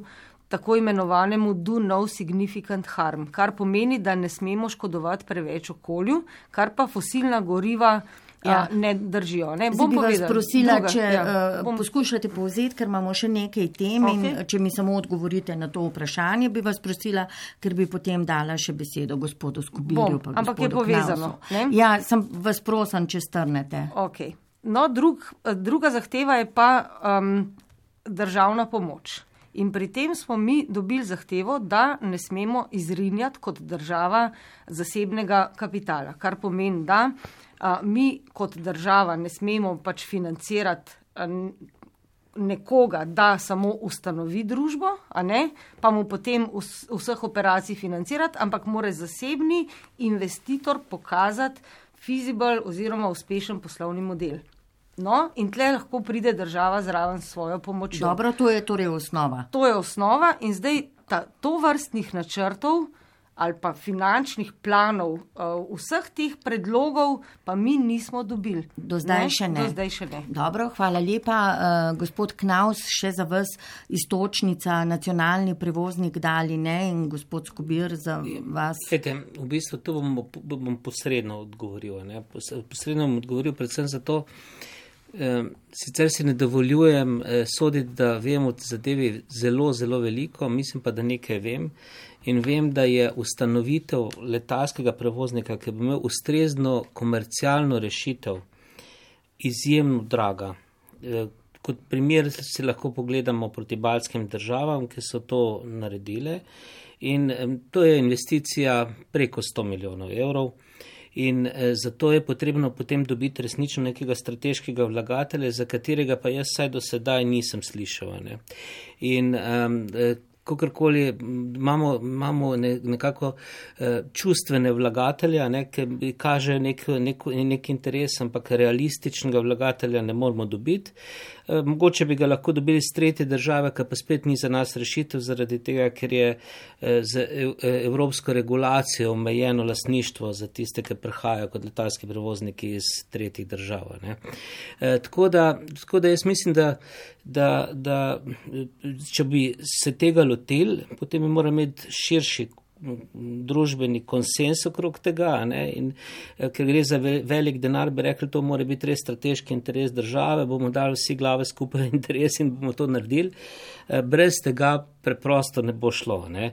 tako imenovanemu do no significant harm, kar pomeni, da ne smemo škodovati preveč okolju, kar pa fosilna goriva ja. ne držijo. Ne? Zdaj bi vas prosila, druga, če ja. uh, Bom... poskušate povzeti, ker imamo še nekaj tem okay. in če mi samo odgovorite na to vprašanje, bi vas prosila, ker bi potem dala še besedo gospodu Skobirju. Pa ampak je gospodu povezano. Ne? Ja, sem vas prosim, če strnete. Okay. No, drug, druga zahteva je pa um, državna pomoč. In pri tem smo mi dobili zahtevo, da ne smemo izrinjati kot država zasebnega kapitala, kar pomeni, da a, mi kot država ne smemo pač financirati a, nekoga, da samo ustanovi družbo, a ne, pa mu potem vs, vseh operacij financirati, ampak mora zasebni investitor pokazati feasible oziroma uspešen poslovni model. No, in tle lahko pride država zraven s svojo pomočjo. Dobro, to je torej osnova. To je osnova in zdaj ta, to vrstnih načrtov ali pa finančnih planov uh, vseh teh predlogov pa mi nismo dobili. Do zdaj ne? še ne. Do zdaj še ne. Dobro, hvala lepa. Uh, gospod Knaus, še za vas istočnica, nacionalni prevoznik dali ne in gospod Skobir za vas. Ete, v bistvu to bom, bom posredno odgovoril. Ne? Posredno bom odgovoril predvsem zato, sicer si ne dovoljujem soditi, da vem o zadevi zelo, zelo veliko, mislim pa, da nekaj vem in vem, da je ustanovitev letalskega prevoznika, ki bi imel ustrezno komercialno rešitev, izjemno draga. Kot primer si lahko pogledamo proti baltskim državam, ki so to naredile in to je investicija preko sto milijonov evrov. In eh, zato je potrebno potem dobiti resnično nekega strateškega vlagatelja, za katerega pa jaz saj do sedaj nisem slišal. Ne. In um, kakorkoli imamo, imamo ne, nekako eh, čustvene vlagatelja, ne, ki kaže nek, nek, nek interes, ampak realističnega vlagatelja ne moramo dobiti. Eh, mogoče bi ga lahko dobili z tretje države, ki pa spet ni za nas rešitev, zaradi tega, ker je eh, z evropsko regulacijo omejeno lastništvo za tiste, ki prihajajo kot letalski prevozniki iz tretjih držav. Ne. Eh, tako, da, tako da jaz mislim, da, da, da če bi se tega lotili, potem bi morali imeti širši družbeni konsens okrog tega, ne? In ker gre za velik denar, bi rekli, to mora biti res strateški interes države, bomo dali vsi glave skupaj interes in bomo to naredili. Brez tega preprosto ne bo šlo. Ne?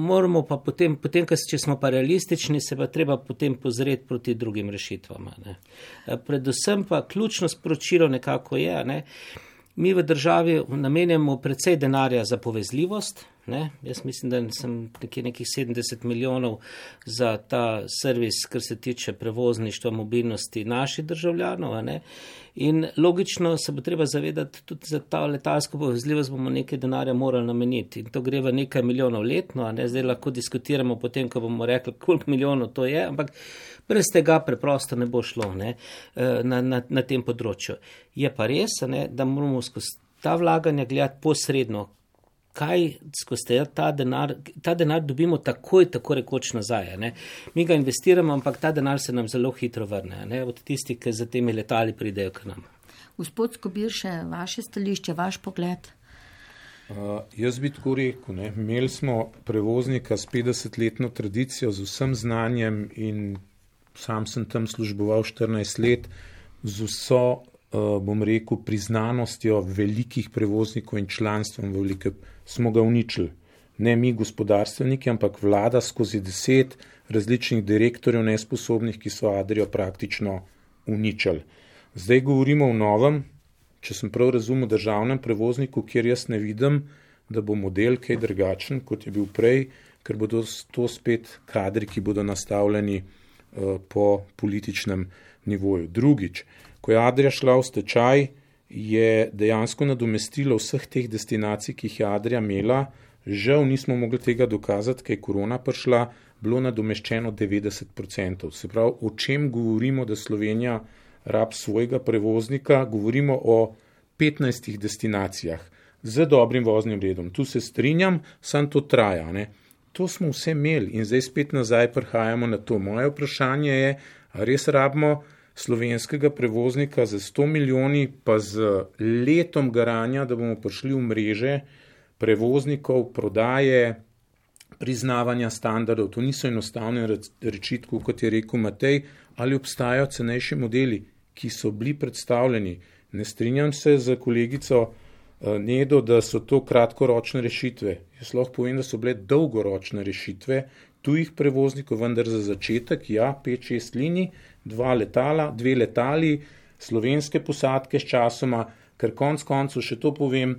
Moramo pa potem, potem, če smo pa realistični, se pa treba potem pozreti proti drugim rešitvam. Ne? Predvsem pa ključno sporočilo nekako je, ne? Mi v državi namenjamo precej denarja za povezljivost. Ne? Jaz mislim, da sem nekje nekih sedemdeset milijonov za ta servis, kar se tiče prevozništva, mobilnosti naših državljanov. Ne? In logično se bo treba zavedati, tudi za ta letalsko povezljivost bomo nekaj denarja morali nameniti. In to gre v nekaj milijonov letno, a ne? Zdaj lahko diskutiramo potem, ko bomo rekli, koliko milijonov to je, ampak brez tega preprosto ne bo šlo, ne, na, na, na tem področju. Je pa res, ne, da moramo skozi ta vlaganja gledati posredno, kaj skozi ta denar, ta denar dobimo takoj, tako rekoč nazaj. Ne. Mi ga investiramo, ampak ta denar se nam zelo hitro vrne, ne, od tistih, ki za temi letali pridejo k nam. Gospod Skobir, še vaše stališče, vaš pogled? Uh, jaz bi tako rekel, ne, imeli smo prevoznika s petdesetletno tradicijo, z vsem znanjem in sam sem tam služboval štirinajst let, z vso, uh, bom rekel, priznanostjo velikih prevoznikov in članstvom velike, smo ga uničili. Ne mi gospodarstveniki, ampak vlada skozi deset različnih direktorjev nesposobnih, ki so Adrio praktično uničili. Zdaj govorimo o novem, če sem prav razumel, državnem prevozniku, kjer jaz ne vidim, da bo model kaj drugačen, kot je bil prej, ker bodo to spet kadri, ki bodo nastavljeni po političnem nivoju. Drugič, ko je Adria šla v stečaj, je dejansko nadomestilo vseh teh destinacij, ki jih je Adria imela, žal nismo mogli tega dokazati, ker je korona prišla, bilo nadomeščeno devetdeset procentov. Se pravi, o čem govorimo, da Slovenija rab svojega prevoznika, govorimo o petnajstih destinacijah z dobrim voznim redom. Tu se strinjam, sam to traja, ne. To smo vse imeli in zdaj spet nazaj prihajamo na to. Moje vprašanje je, a res rabimo slovenskega prevoznika z sto milijoni pa z letom garanja, da bomo prišli v mreže prevoznikov, prodaje, priznavanja standardov. To niso enostavne rečitve, kot je rekel Matej, ali obstajajo cenejši modeli, ki so bili predstavljeni. Ne strinjam se z kolegico Nedo, da so to kratkoročne rešitve. Jaz lahko povem, da so bile dolgoročne rešitve tujih prevoznikov, vendar za začetek, ja, pet šest linij, dva letala, dve letali, slovenske posadke s časoma, ker konc koncu še to povem,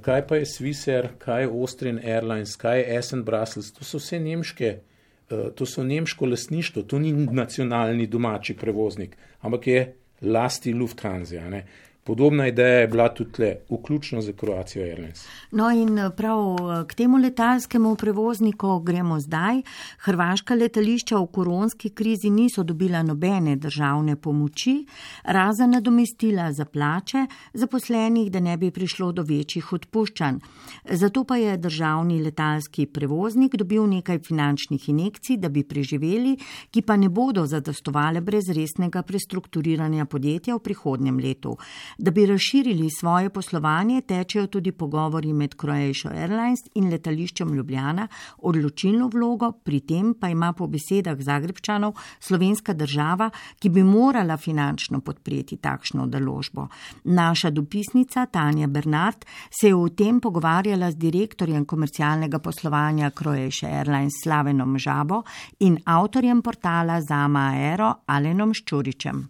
kaj pa je Swissair, kaj je Austrian Airlines, kaj je Essen Brussels, to so vse nemške, to so nemško lastništvo, to ni nacionalni domači prevoznik, ampak je lasti Lufthansa, ne. Podobna ideja je bila tudi tle, vključno za Croatia Airlines. No in prav k temu letalskemu prevozniku gremo zdaj. Hrvaška letališča v koronski krizi niso dobila nobene državne pomoči, razen nadomestila za plače zaposlenih, da ne bi prišlo do večjih odpuščanj. Zato pa je državni letalski prevoznik dobil nekaj finančnih injekcij, da bi preživeli, ki pa ne bodo zadostovale brez resnega prestrukturiranja podjetja v prihodnjem letu. Da bi razširili svoje poslovanje, tečejo tudi pogovori med Croatia Airlines in letališčem Ljubljana. Odločilno vlogo pri tem pa ima po besedah Zagrebčanov slovenska država, ki bi morala finančno podpreti takšno naložbo. Naša dopisnica Tanja Bernard se je o tem pogovarjala z direktorjem komercialnega poslovanja Croatia Airlines Slavenom Žabo in avtorjem portala Zama Aero Alenom Ščuričem.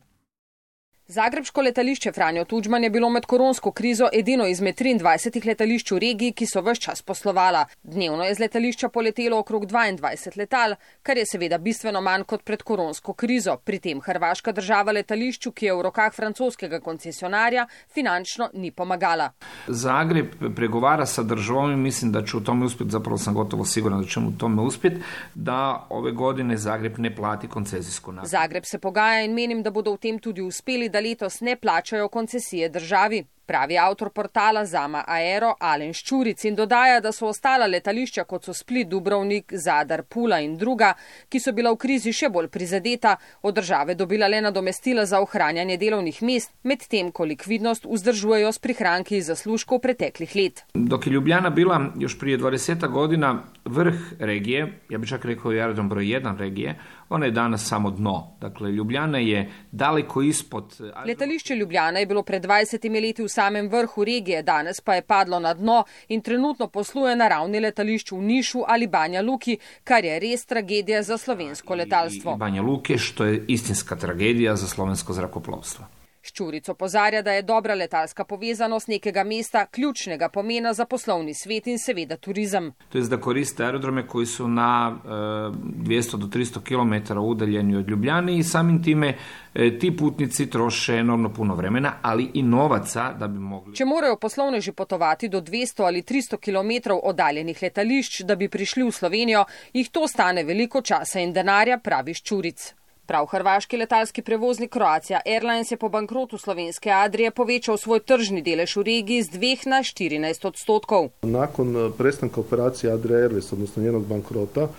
Zagrebško letališče Franjo Tudžman je bilo med koronsko krizo edino izmed triindvajsetih letališč v regiji, ki so ves čas poslovala. Dnevno je z letališča poletelo okrog dvaindvajset letal, kar je seveda bistveno manj kot pred koronsko krizo. Pri tem hrvaška država letališču, ki je v rokah francoskega koncesionarja, finančno ni pomagala. Zagreb pregovara sa državom i mislim da će u tome uspjeti, zapravo sam gotovo siguran da će u tome uspjeti, da ove godine Zagreb ne plati koncesijsku naknadu. Zagreb se pogaja in menim, da bodo v tem tudi uspeli, da letos ne plačajo koncesije državi, pravi avtor portala Zama Aero Alen Ščuric in dodaja, da so ostala letališča, kot so Split, Dubrovnik, Zadar, Pula in druga, ki so bila v krizi še bolj prizadeta, od države dobila le nadomestila za ohranjanje delovnih mest, medtem ko likvidnost vzdržujejo s prihranki iz zaslužkov preteklih let. Dok je Ljubljana bila još prije dvadeset godina vrh regije, ja bih čak rekao i aerodrom broj jedan regije, ona je danas samo dno. Dakle, Ljubljana je daleko ispod... Letališče Ljubljana je bilo pred dvajsetimi leti v samem vrhu regije, danes pa je padlo na dno in trenutno posluje na ravni letališč v Nišu ali Banja Luki, kar je res tragedija za slovensko letalstvo. I, i Banja Luke, što je istinska tragedija za slovensko zrakoplovstvo. Ščuric opozarja, da je dobra letalska povezanost nekega mesta ključnega pomena za poslovni svet in seveda turizam. To je da koriste aerodrome koji su na e, dvjesto do tristo kilometara udaljeni od Ljubljane i samim time e, ti putnici troše enormno puno vremena, ali i novaca da bi mogli... Če morajo poslovneži potovati do dvesto ali tristo kilometrov oddaljenih letališč, da bi prišli v Slovenijo, jih to stane veliko časa in denarja, pravi Ščuric. Prav hrvaški letalski prevoznik Croatia Airlines je po bankrotu slovenske Adrije povečal svoj tržni delež v regiji z dveh na štirinajst odstotkov. Nakon prestanka operacije Adria Airways, odnosno njenog bankrota,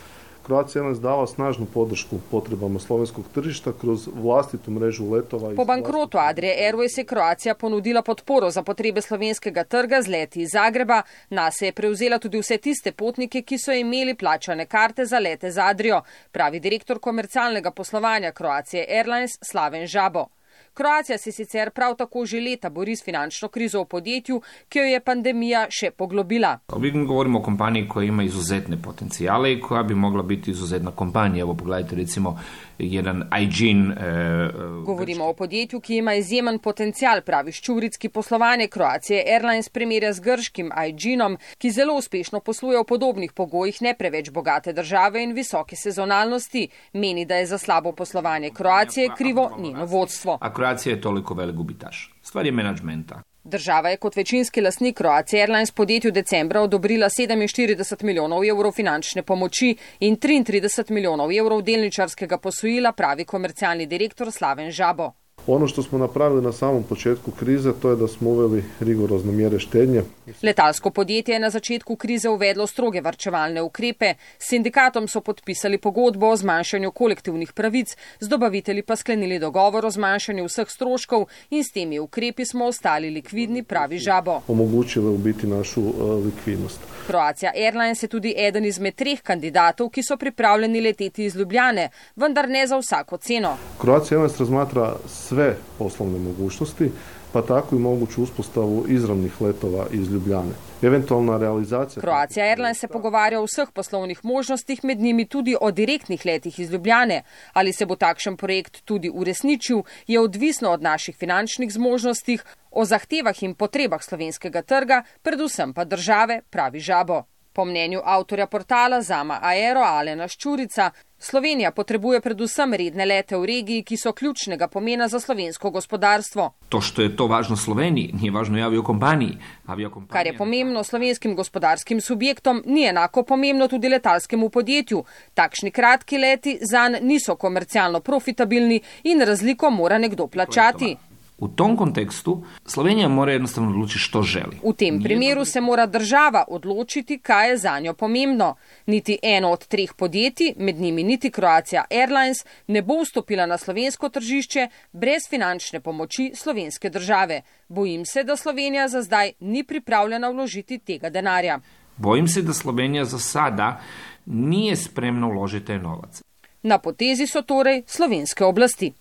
Croatia Airlines dava snažnu podršku potrebama slovenskog tržišta kroz vlastitu mrežu letova. Po bankrotu Adria Airways je Croatia ponudila podporo za potrebe slovenskega trga z leti iz Zagreba. Nase je prevzela tudi vse tiste potnike, ki so imeli plačane karte za lete z Adrio, pravi direktor komercialnega poslovanja Croatia Airlines Slaven Žabo. Croatia se sicer prav tako že leta bori s finančno krizo v podjetju, ki jo je pandemija še poglobila. Mi govorimo o kompaniji koja ima izuzetne potencijale i koja bi mogla biti izuzetna kompanija. Evo pogledajte recimo jedan Aegean. Eh, govorimo o podjetju, ki ima izjemen potencijal, pravi Ščuric, ki poslovanje Croatia Airlines primerja z grškim Aegeanom, ki zelo uspešno posluje v podobnih pogojih ne preveč bogate države in visoke sezonalnosti. Meni, da je za slabo poslovanje Croatie krivo njeno vodstvo. A Croatia je toliko velik gubitaš. Stvar je menadžmenta. Država je kot večinski lastnik Croatia Airlines podjetju decembra odobrila sedeminštirideset milijonov evrov finančne pomoči in triintrideset milijonov evrov delničarskega posojila, pravi komercialni direktor Slaven Žabo. Ono što smo napravili na samom početku krize, to je da smo uveli rigorozne mjere štednje. Letalsko podjetje je na začetku krize uvedlo stroge varčevalne ukrepe. S sindikatom so podpisali pogodbo o zmanjšanju kolektivnih pravic, z dobavitelji pa sklenili dogovor o zmanjšanju vseh stroškov in s temi ukrepi smo ostali likvidni, pravi Žabo. Omogućile u biti našu uh, likvidnost. Croatia Airlines je tudi eden izmed treh kandidatov, ki so pripravljeni leteti iz Ljubljane, vendar ne za vsako ceno. Croatia Airlines razmatra sve poslovne mogućnosti, pa tako i moguću uspostavu izravnih letova iz Ljubljane. Eventualna realizacija... Croatia Airlines se pogovarja o vseh poslovnih možnostih, med njimi tudi o direktnih letih iz Ljubljane. Ali se bo takšen projekt tudi uresničil, je odvisno od naših finančnih zmožnostih, o zahtevah in potrebah slovenskega trga, predvsem pa države, pravi Žabo. Po mnenju avtorja portala Zama Aero Alena Ščurica, Slovenija potrebuje predvsem redne lete v regiji, ki so ključnega pomena za slovensko gospodarstvo. To, što je to važno Sloveniji, nije važno i aviokompaniji. Aviokompanija... Kar je pomembno slovenskim gospodarskim subjektom, ni enako pomembno tudi letalskemu podjetju. Takšni kratki leti zanj niso komercialno profitabilni in razliko mora nekdo plačati. U tom kontekstu Slovenija mora jednostavno odlučiti što želi. V tem primeru se mora država odločiti, kaj je za njo pomembno. Niti eno od treh podjetij, med njimi niti Croatia Airlines, ne bo vstopila na slovensko tržišče brez finančne pomoči slovenske države. Bojim se, da Slovenija za zdaj ni pripravljena vložiti tega denarja. Bojim se, da Slovenija za sada nije spremna uložiti taj novac. Na potezi so torej slovenske oblasti.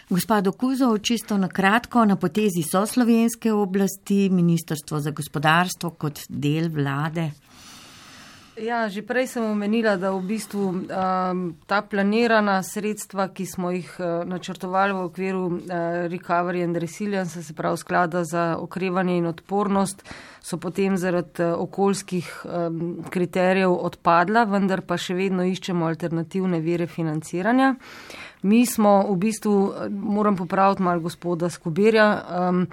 Gospod Kuzov, čisto na kratko, na potezi so slovenske oblasti, Ministrstvo za gospodarstvo kot del vlade. Ja, že prej sem omenila, da v bistvu um, ta planirana sredstva, ki smo jih uh, načrtovali v okviru uh, Recovery and Resilience, se pravi sklada za okrevanje in odpornost, so potem zaradi uh, okoljskih um, kriterijev odpadla, vendar pa še vedno iščemo alternativne vire financiranja. Mi smo v bistvu, moram popraviti malo gospoda Skobirja, um,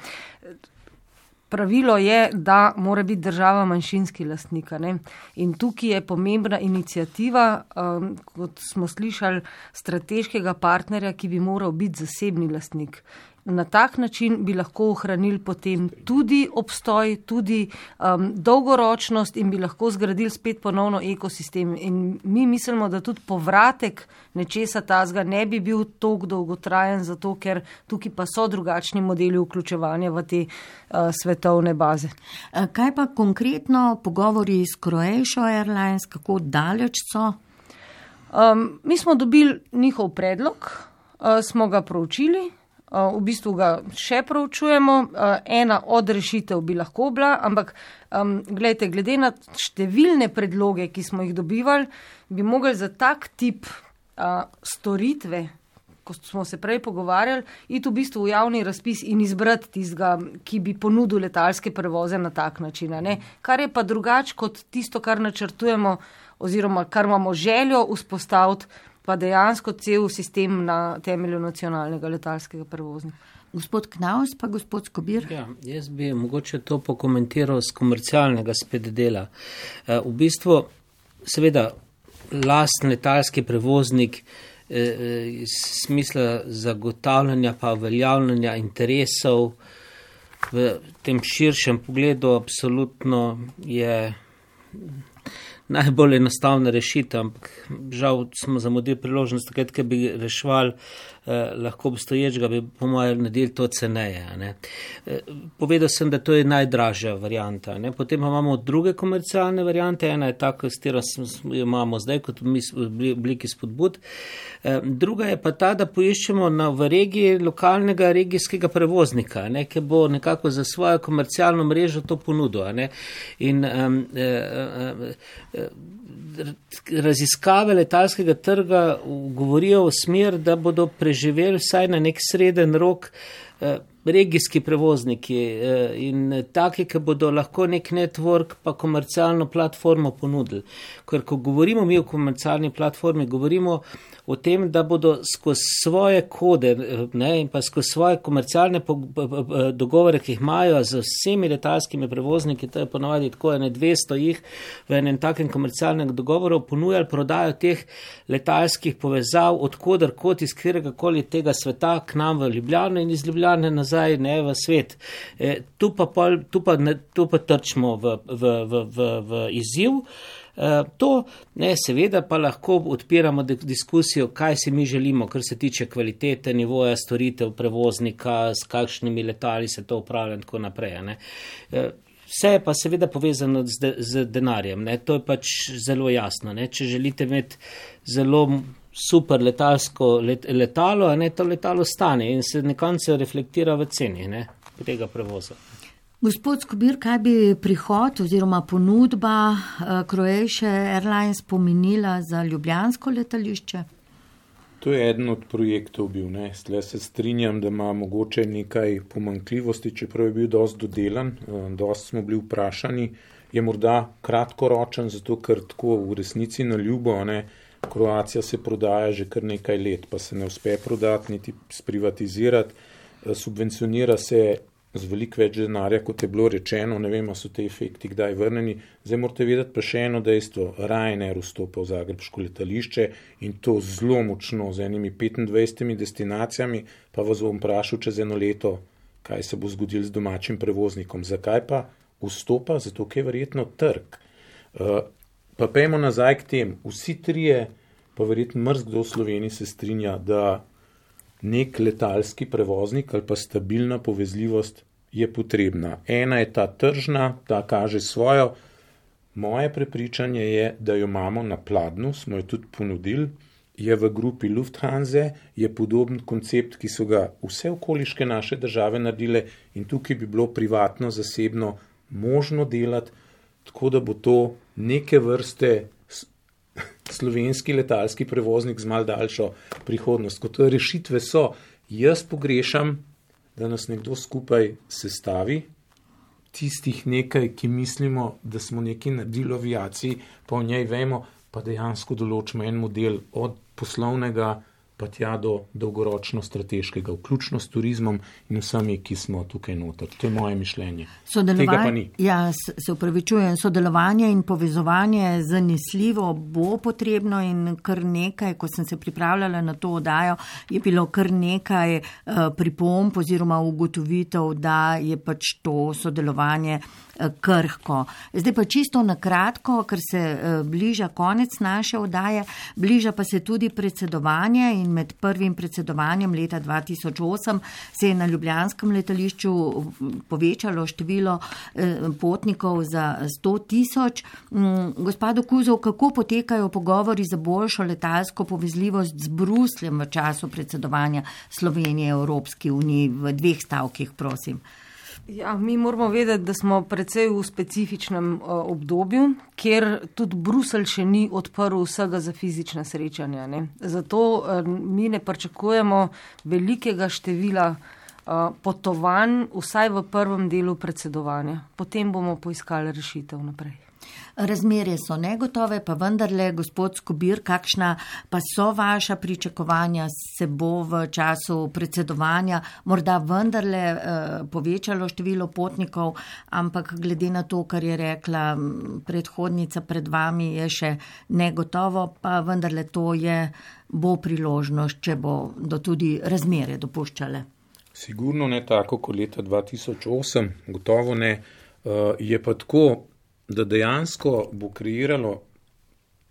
pravilo je, da mora biti država manjšinski lastnik. Ne? In tukaj je pomembna inicijativa, um, kot smo slišali, strateškega partnerja, ki bi moral biti zasebni lastnik. Na tak način bi lahko ohranili potem tudi obstoj, tudi um, dolgoročnost in bi lahko zgradili spet ponovno ekosistem. In mi mislimo, da tudi povratek nečesa tazga ne bi bil toliko dolgotrajen, zato ker tukaj pa so drugačni modeli vključevanja v te uh, svetovne baze. Kaj pa konkretno pogovori s Croatia Airlines, kako daleč so? Um, mi smo dobili njihov predlog, uh, smo ga proučili. V bistvu ga še proučujemo. Ena od rešitev bi lahko bila, ampak um, gledajte, glede na številne predloge, ki smo jih dobivali, bi mogli za tak tip uh, storitve, ko smo se prej pogovarjali, iti v bistvu v javni razpis in izbrati tistega, ki bi ponudil letalske prevoze na tak način. Ne? Kar je pa drugače kot tisto, kar načrtujemo oziroma kar imamo željo vzpostaviti, pa dejansko cel sistem na temelju nacionalnega letalskega prevoznika. Gospod Knaus pa gospod Skobir. Ja, jaz bi mogoče to pokomentiral z komercialnega spet dela. V bistvu, seveda, lastni letalski prevoznik iz smisla zagotavljanja pa uveljavljanja interesov v tem širšem pogledu absolutno je najbolj enostavna rešitev, ampak žal smo zamudili priložnost, takrat, ki bi reševali eh, lahko obstoječega, bi po mojem naredili to ceneje. Ne. Eh, povedal sem, da to je najdražja varianta. Ne. Potem pa imamo druge komercialne variante, ena je taka, s katero imamo zdaj kot mi v obliki spodbud. Eh, druga je pa ta, da poiščemo na, v regiji lokalnega regijskega prevoznika, ne, ki bo nekako za svojo komercialno mrežo to ponudil. Ne. In um, eh, eh, raziskave letalskega trga govorijo v smer, da bodo preživeli vsaj na nek sreden rok regijski prevozniki in taki, ki bodo lahko nek network pa komercialno platformo ponudili. Ker ko govorimo mi o komercialni platformi, govorimo o tem, da bodo skozi svoje kode, ne, in pa skozi svoje komercialne dogovore, ki jih imajo z vsemi letalskimi prevozniki, to je ponovadi tako ene dvesto jih v enem takem komercialnem dogovoru, ponujali prodajo teh letalskih povezav odkudar kot iz kateregakoli tega sveta k nam v Ljubljano in iz Ljubljane nazaj, ne, v svet. E, tu, pa pol, tu, pa, ne, tu pa trčimo v, v, v, v, v izziv. Uh, to, ne, seveda pa lahko odpiramo diskusijo, kaj si mi želimo, kar se tiče kvalitete, nivoja storitev prevoznika, s kakšnimi letali se to upravlja in tako naprej. Ne. Uh, vse je pa seveda povezano z, de, z denarjem, ne. To je pač zelo jasno. Ne. Če želite imeti zelo super letalsko let, letalo, ne, to letalo stane in se nekonce reflektira v ceni, ne, tega prevoza. Gospod Skobir, kaj bi prihod oziroma ponudba Croatia Airlines pomenila za ljubljansko letališče? To je eden od projektov bil. Ne. Stle se strinjam, da ima mogoče nekaj pomanjkljivosti, čeprav je bil dosti dodelan, dosti smo bili vprašani. Je morda kratkoročen, zato ker tako v resnici na ljubo, ne, Kroacija se prodaja že kar nekaj let, pa se ne uspe prodati, niti sprivatizirati. Subvencionira se z veliko več denarja, kot je bilo rečeno, ne vem, so te efekti kdaj vrneni. Zdaj morate vedeti pa še eno dejstvo, Ryanair vstopa v zagrebško letališče in to zelo močno z enimi petindvajsetimi destinacijami, pa vas bom vprašal čez eno leto, kaj se bo zgodilo z domačim prevoznikom. Zakaj pa vstopa? Zato, ker je verjetno trg. Uh, pa pejmo nazaj k tem. Vsi trije, pa verjetno mrzkdo v Sloveniji se strinja, da nek letalski prevoznik ali pa stabilna povezljivost je potrebna. Ena je ta tržna, ta kaže svojo. Moje prepričanje je, da jo imamo na pladnju, smo jo tudi ponudili, je v grupi Lufthansa, je podoben koncept, ki so ga vse okoliške naše države naredile in tukaj bi bilo privatno, zasebno možno delati, tako da bo to neke vrste slovenski letalski prevoznik z mal daljšo prihodnost. Kot rešitve so, jaz pogrešam, da nas nekdo skupaj sestavi, tistih nekaj, ki mislimo, da smo nekaj naredili v aviaciji, pa o njej vemo, pa dejansko določimo en model od poslovnega pa tja do dolgoročno strateškega, vključno s turizmom in vsemi, ki smo tukaj noter. To je moje mišljenje. Tega pa ni. Ja, se upravičujem, sodelovanje in povezovanje zanesljivo bo potrebno in kar nekaj, ko sem se pripravljala na to oddajo, je bilo kar nekaj uh, pripomb oziroma ugotovitev, da je pač to sodelovanje krhko. Zdaj pa čisto na kratko, ker se bliža konec naše oddaje, bliža pa se tudi predsedovanje in med prvim predsedovanjem leta dva tisoč osem se je na ljubljanskem letališču povečalo število potnikov za sto tisoč. Gospod Kuzov, kako potekajo pogovori za boljšo letalsko povezljivost z Brusljem v času predsedovanja Slovenije Evropski uniji? V dveh stavkih, prosim. Ja, mi moramo vedeti, da smo precej v specifičnem uh, obdobju, kjer tudi Bruselj še ni odprl vsega za fizična srečanja. Ne? Zato uh, mi ne pričakujemo velikega števila uh, potovanj, vsaj v prvem delu predsedovanja. Potem bomo poiskali rešitev naprej. Razmere so negotove, pa vendarle, gospod Skobir, kakšna pa so vaša pričakovanja, se bo v času predsedovanja morda vendarle eh, povečalo število potnikov, ampak glede na to, kar je rekla predhodnica pred vami, je še negotovo, pa vendarle to je, bo priložnost, če bo do tudi razmere dopuščale. Sigurno ne tako kot leta dva tisoč osem, gotovo ne, uh, je pa tako, da dejansko bo kreiralo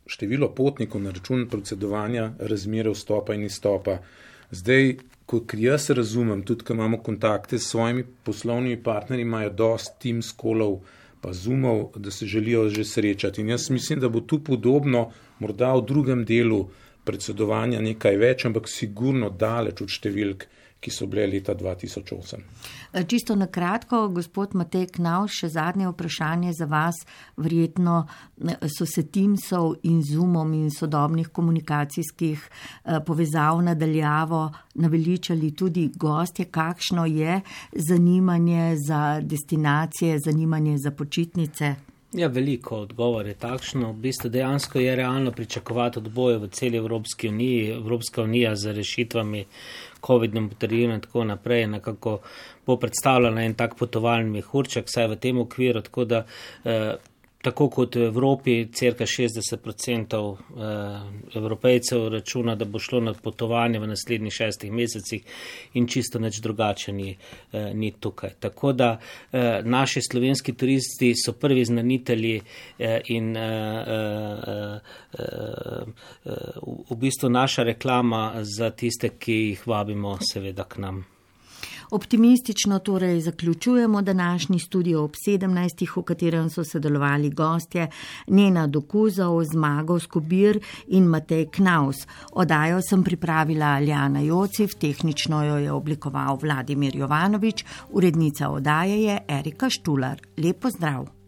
število potnikov na račun predsedovanja razmere vstopa in izstopa. Zdaj, kot jaz razumem, tudi ko imamo kontakte s svojimi poslovnimi partnerji, imajo dosti Teams callov pa Zoomov, da se želijo že srečati. In jaz mislim, da bo tu podobno, morda v drugem delu predsedovanja nekaj več, ampak sigurno daleč od številk, ki so bile leta dva tisoč osem. Čisto na kratko, gospod Matej Knavs, še zadnje vprašanje za vas. Verjetno so se Teamsov in Zoomom in sodobnih komunikacijskih povezav nadaljavo naveličali tudi gostje. Kakšno je zanimanje za destinacije, zanimanje za počitnice? Ja, veliko odgovor je takšno. V bistvu dejansko je realno pričakovati odboje v celi Evropski uniji. Evropska unija z rešitvami covidnem potrdilu in tako naprej nekako bo predstavljala en tak potovalni mehurček, saj v tem okviru, tako da eh, tako kot v Evropi, cirka šestdeset odstotkov eh, Evropejcev računa, da bo šlo na potovanje v naslednjih šestih mesecih in čisto nič drugače ni, eh, ni tukaj. Tako da eh, naši slovenski turisti so prvi znanitelji eh, in eh, eh, eh, v bistvu naša reklama za tiste, ki jih vabimo seveda k nam. Optimistično torej zaključujemo današnji studio ob sedemnajstih, v katerem so sodelovali gostje Nena Dokuzov, Zmago Skobir in Matej Knavs. Oddajo sem pripravila Aljana Jociv, tehnično jo je oblikoval Vladimir Jovanovič, urednica oddaje je Erika Štular. Lep pozdrav!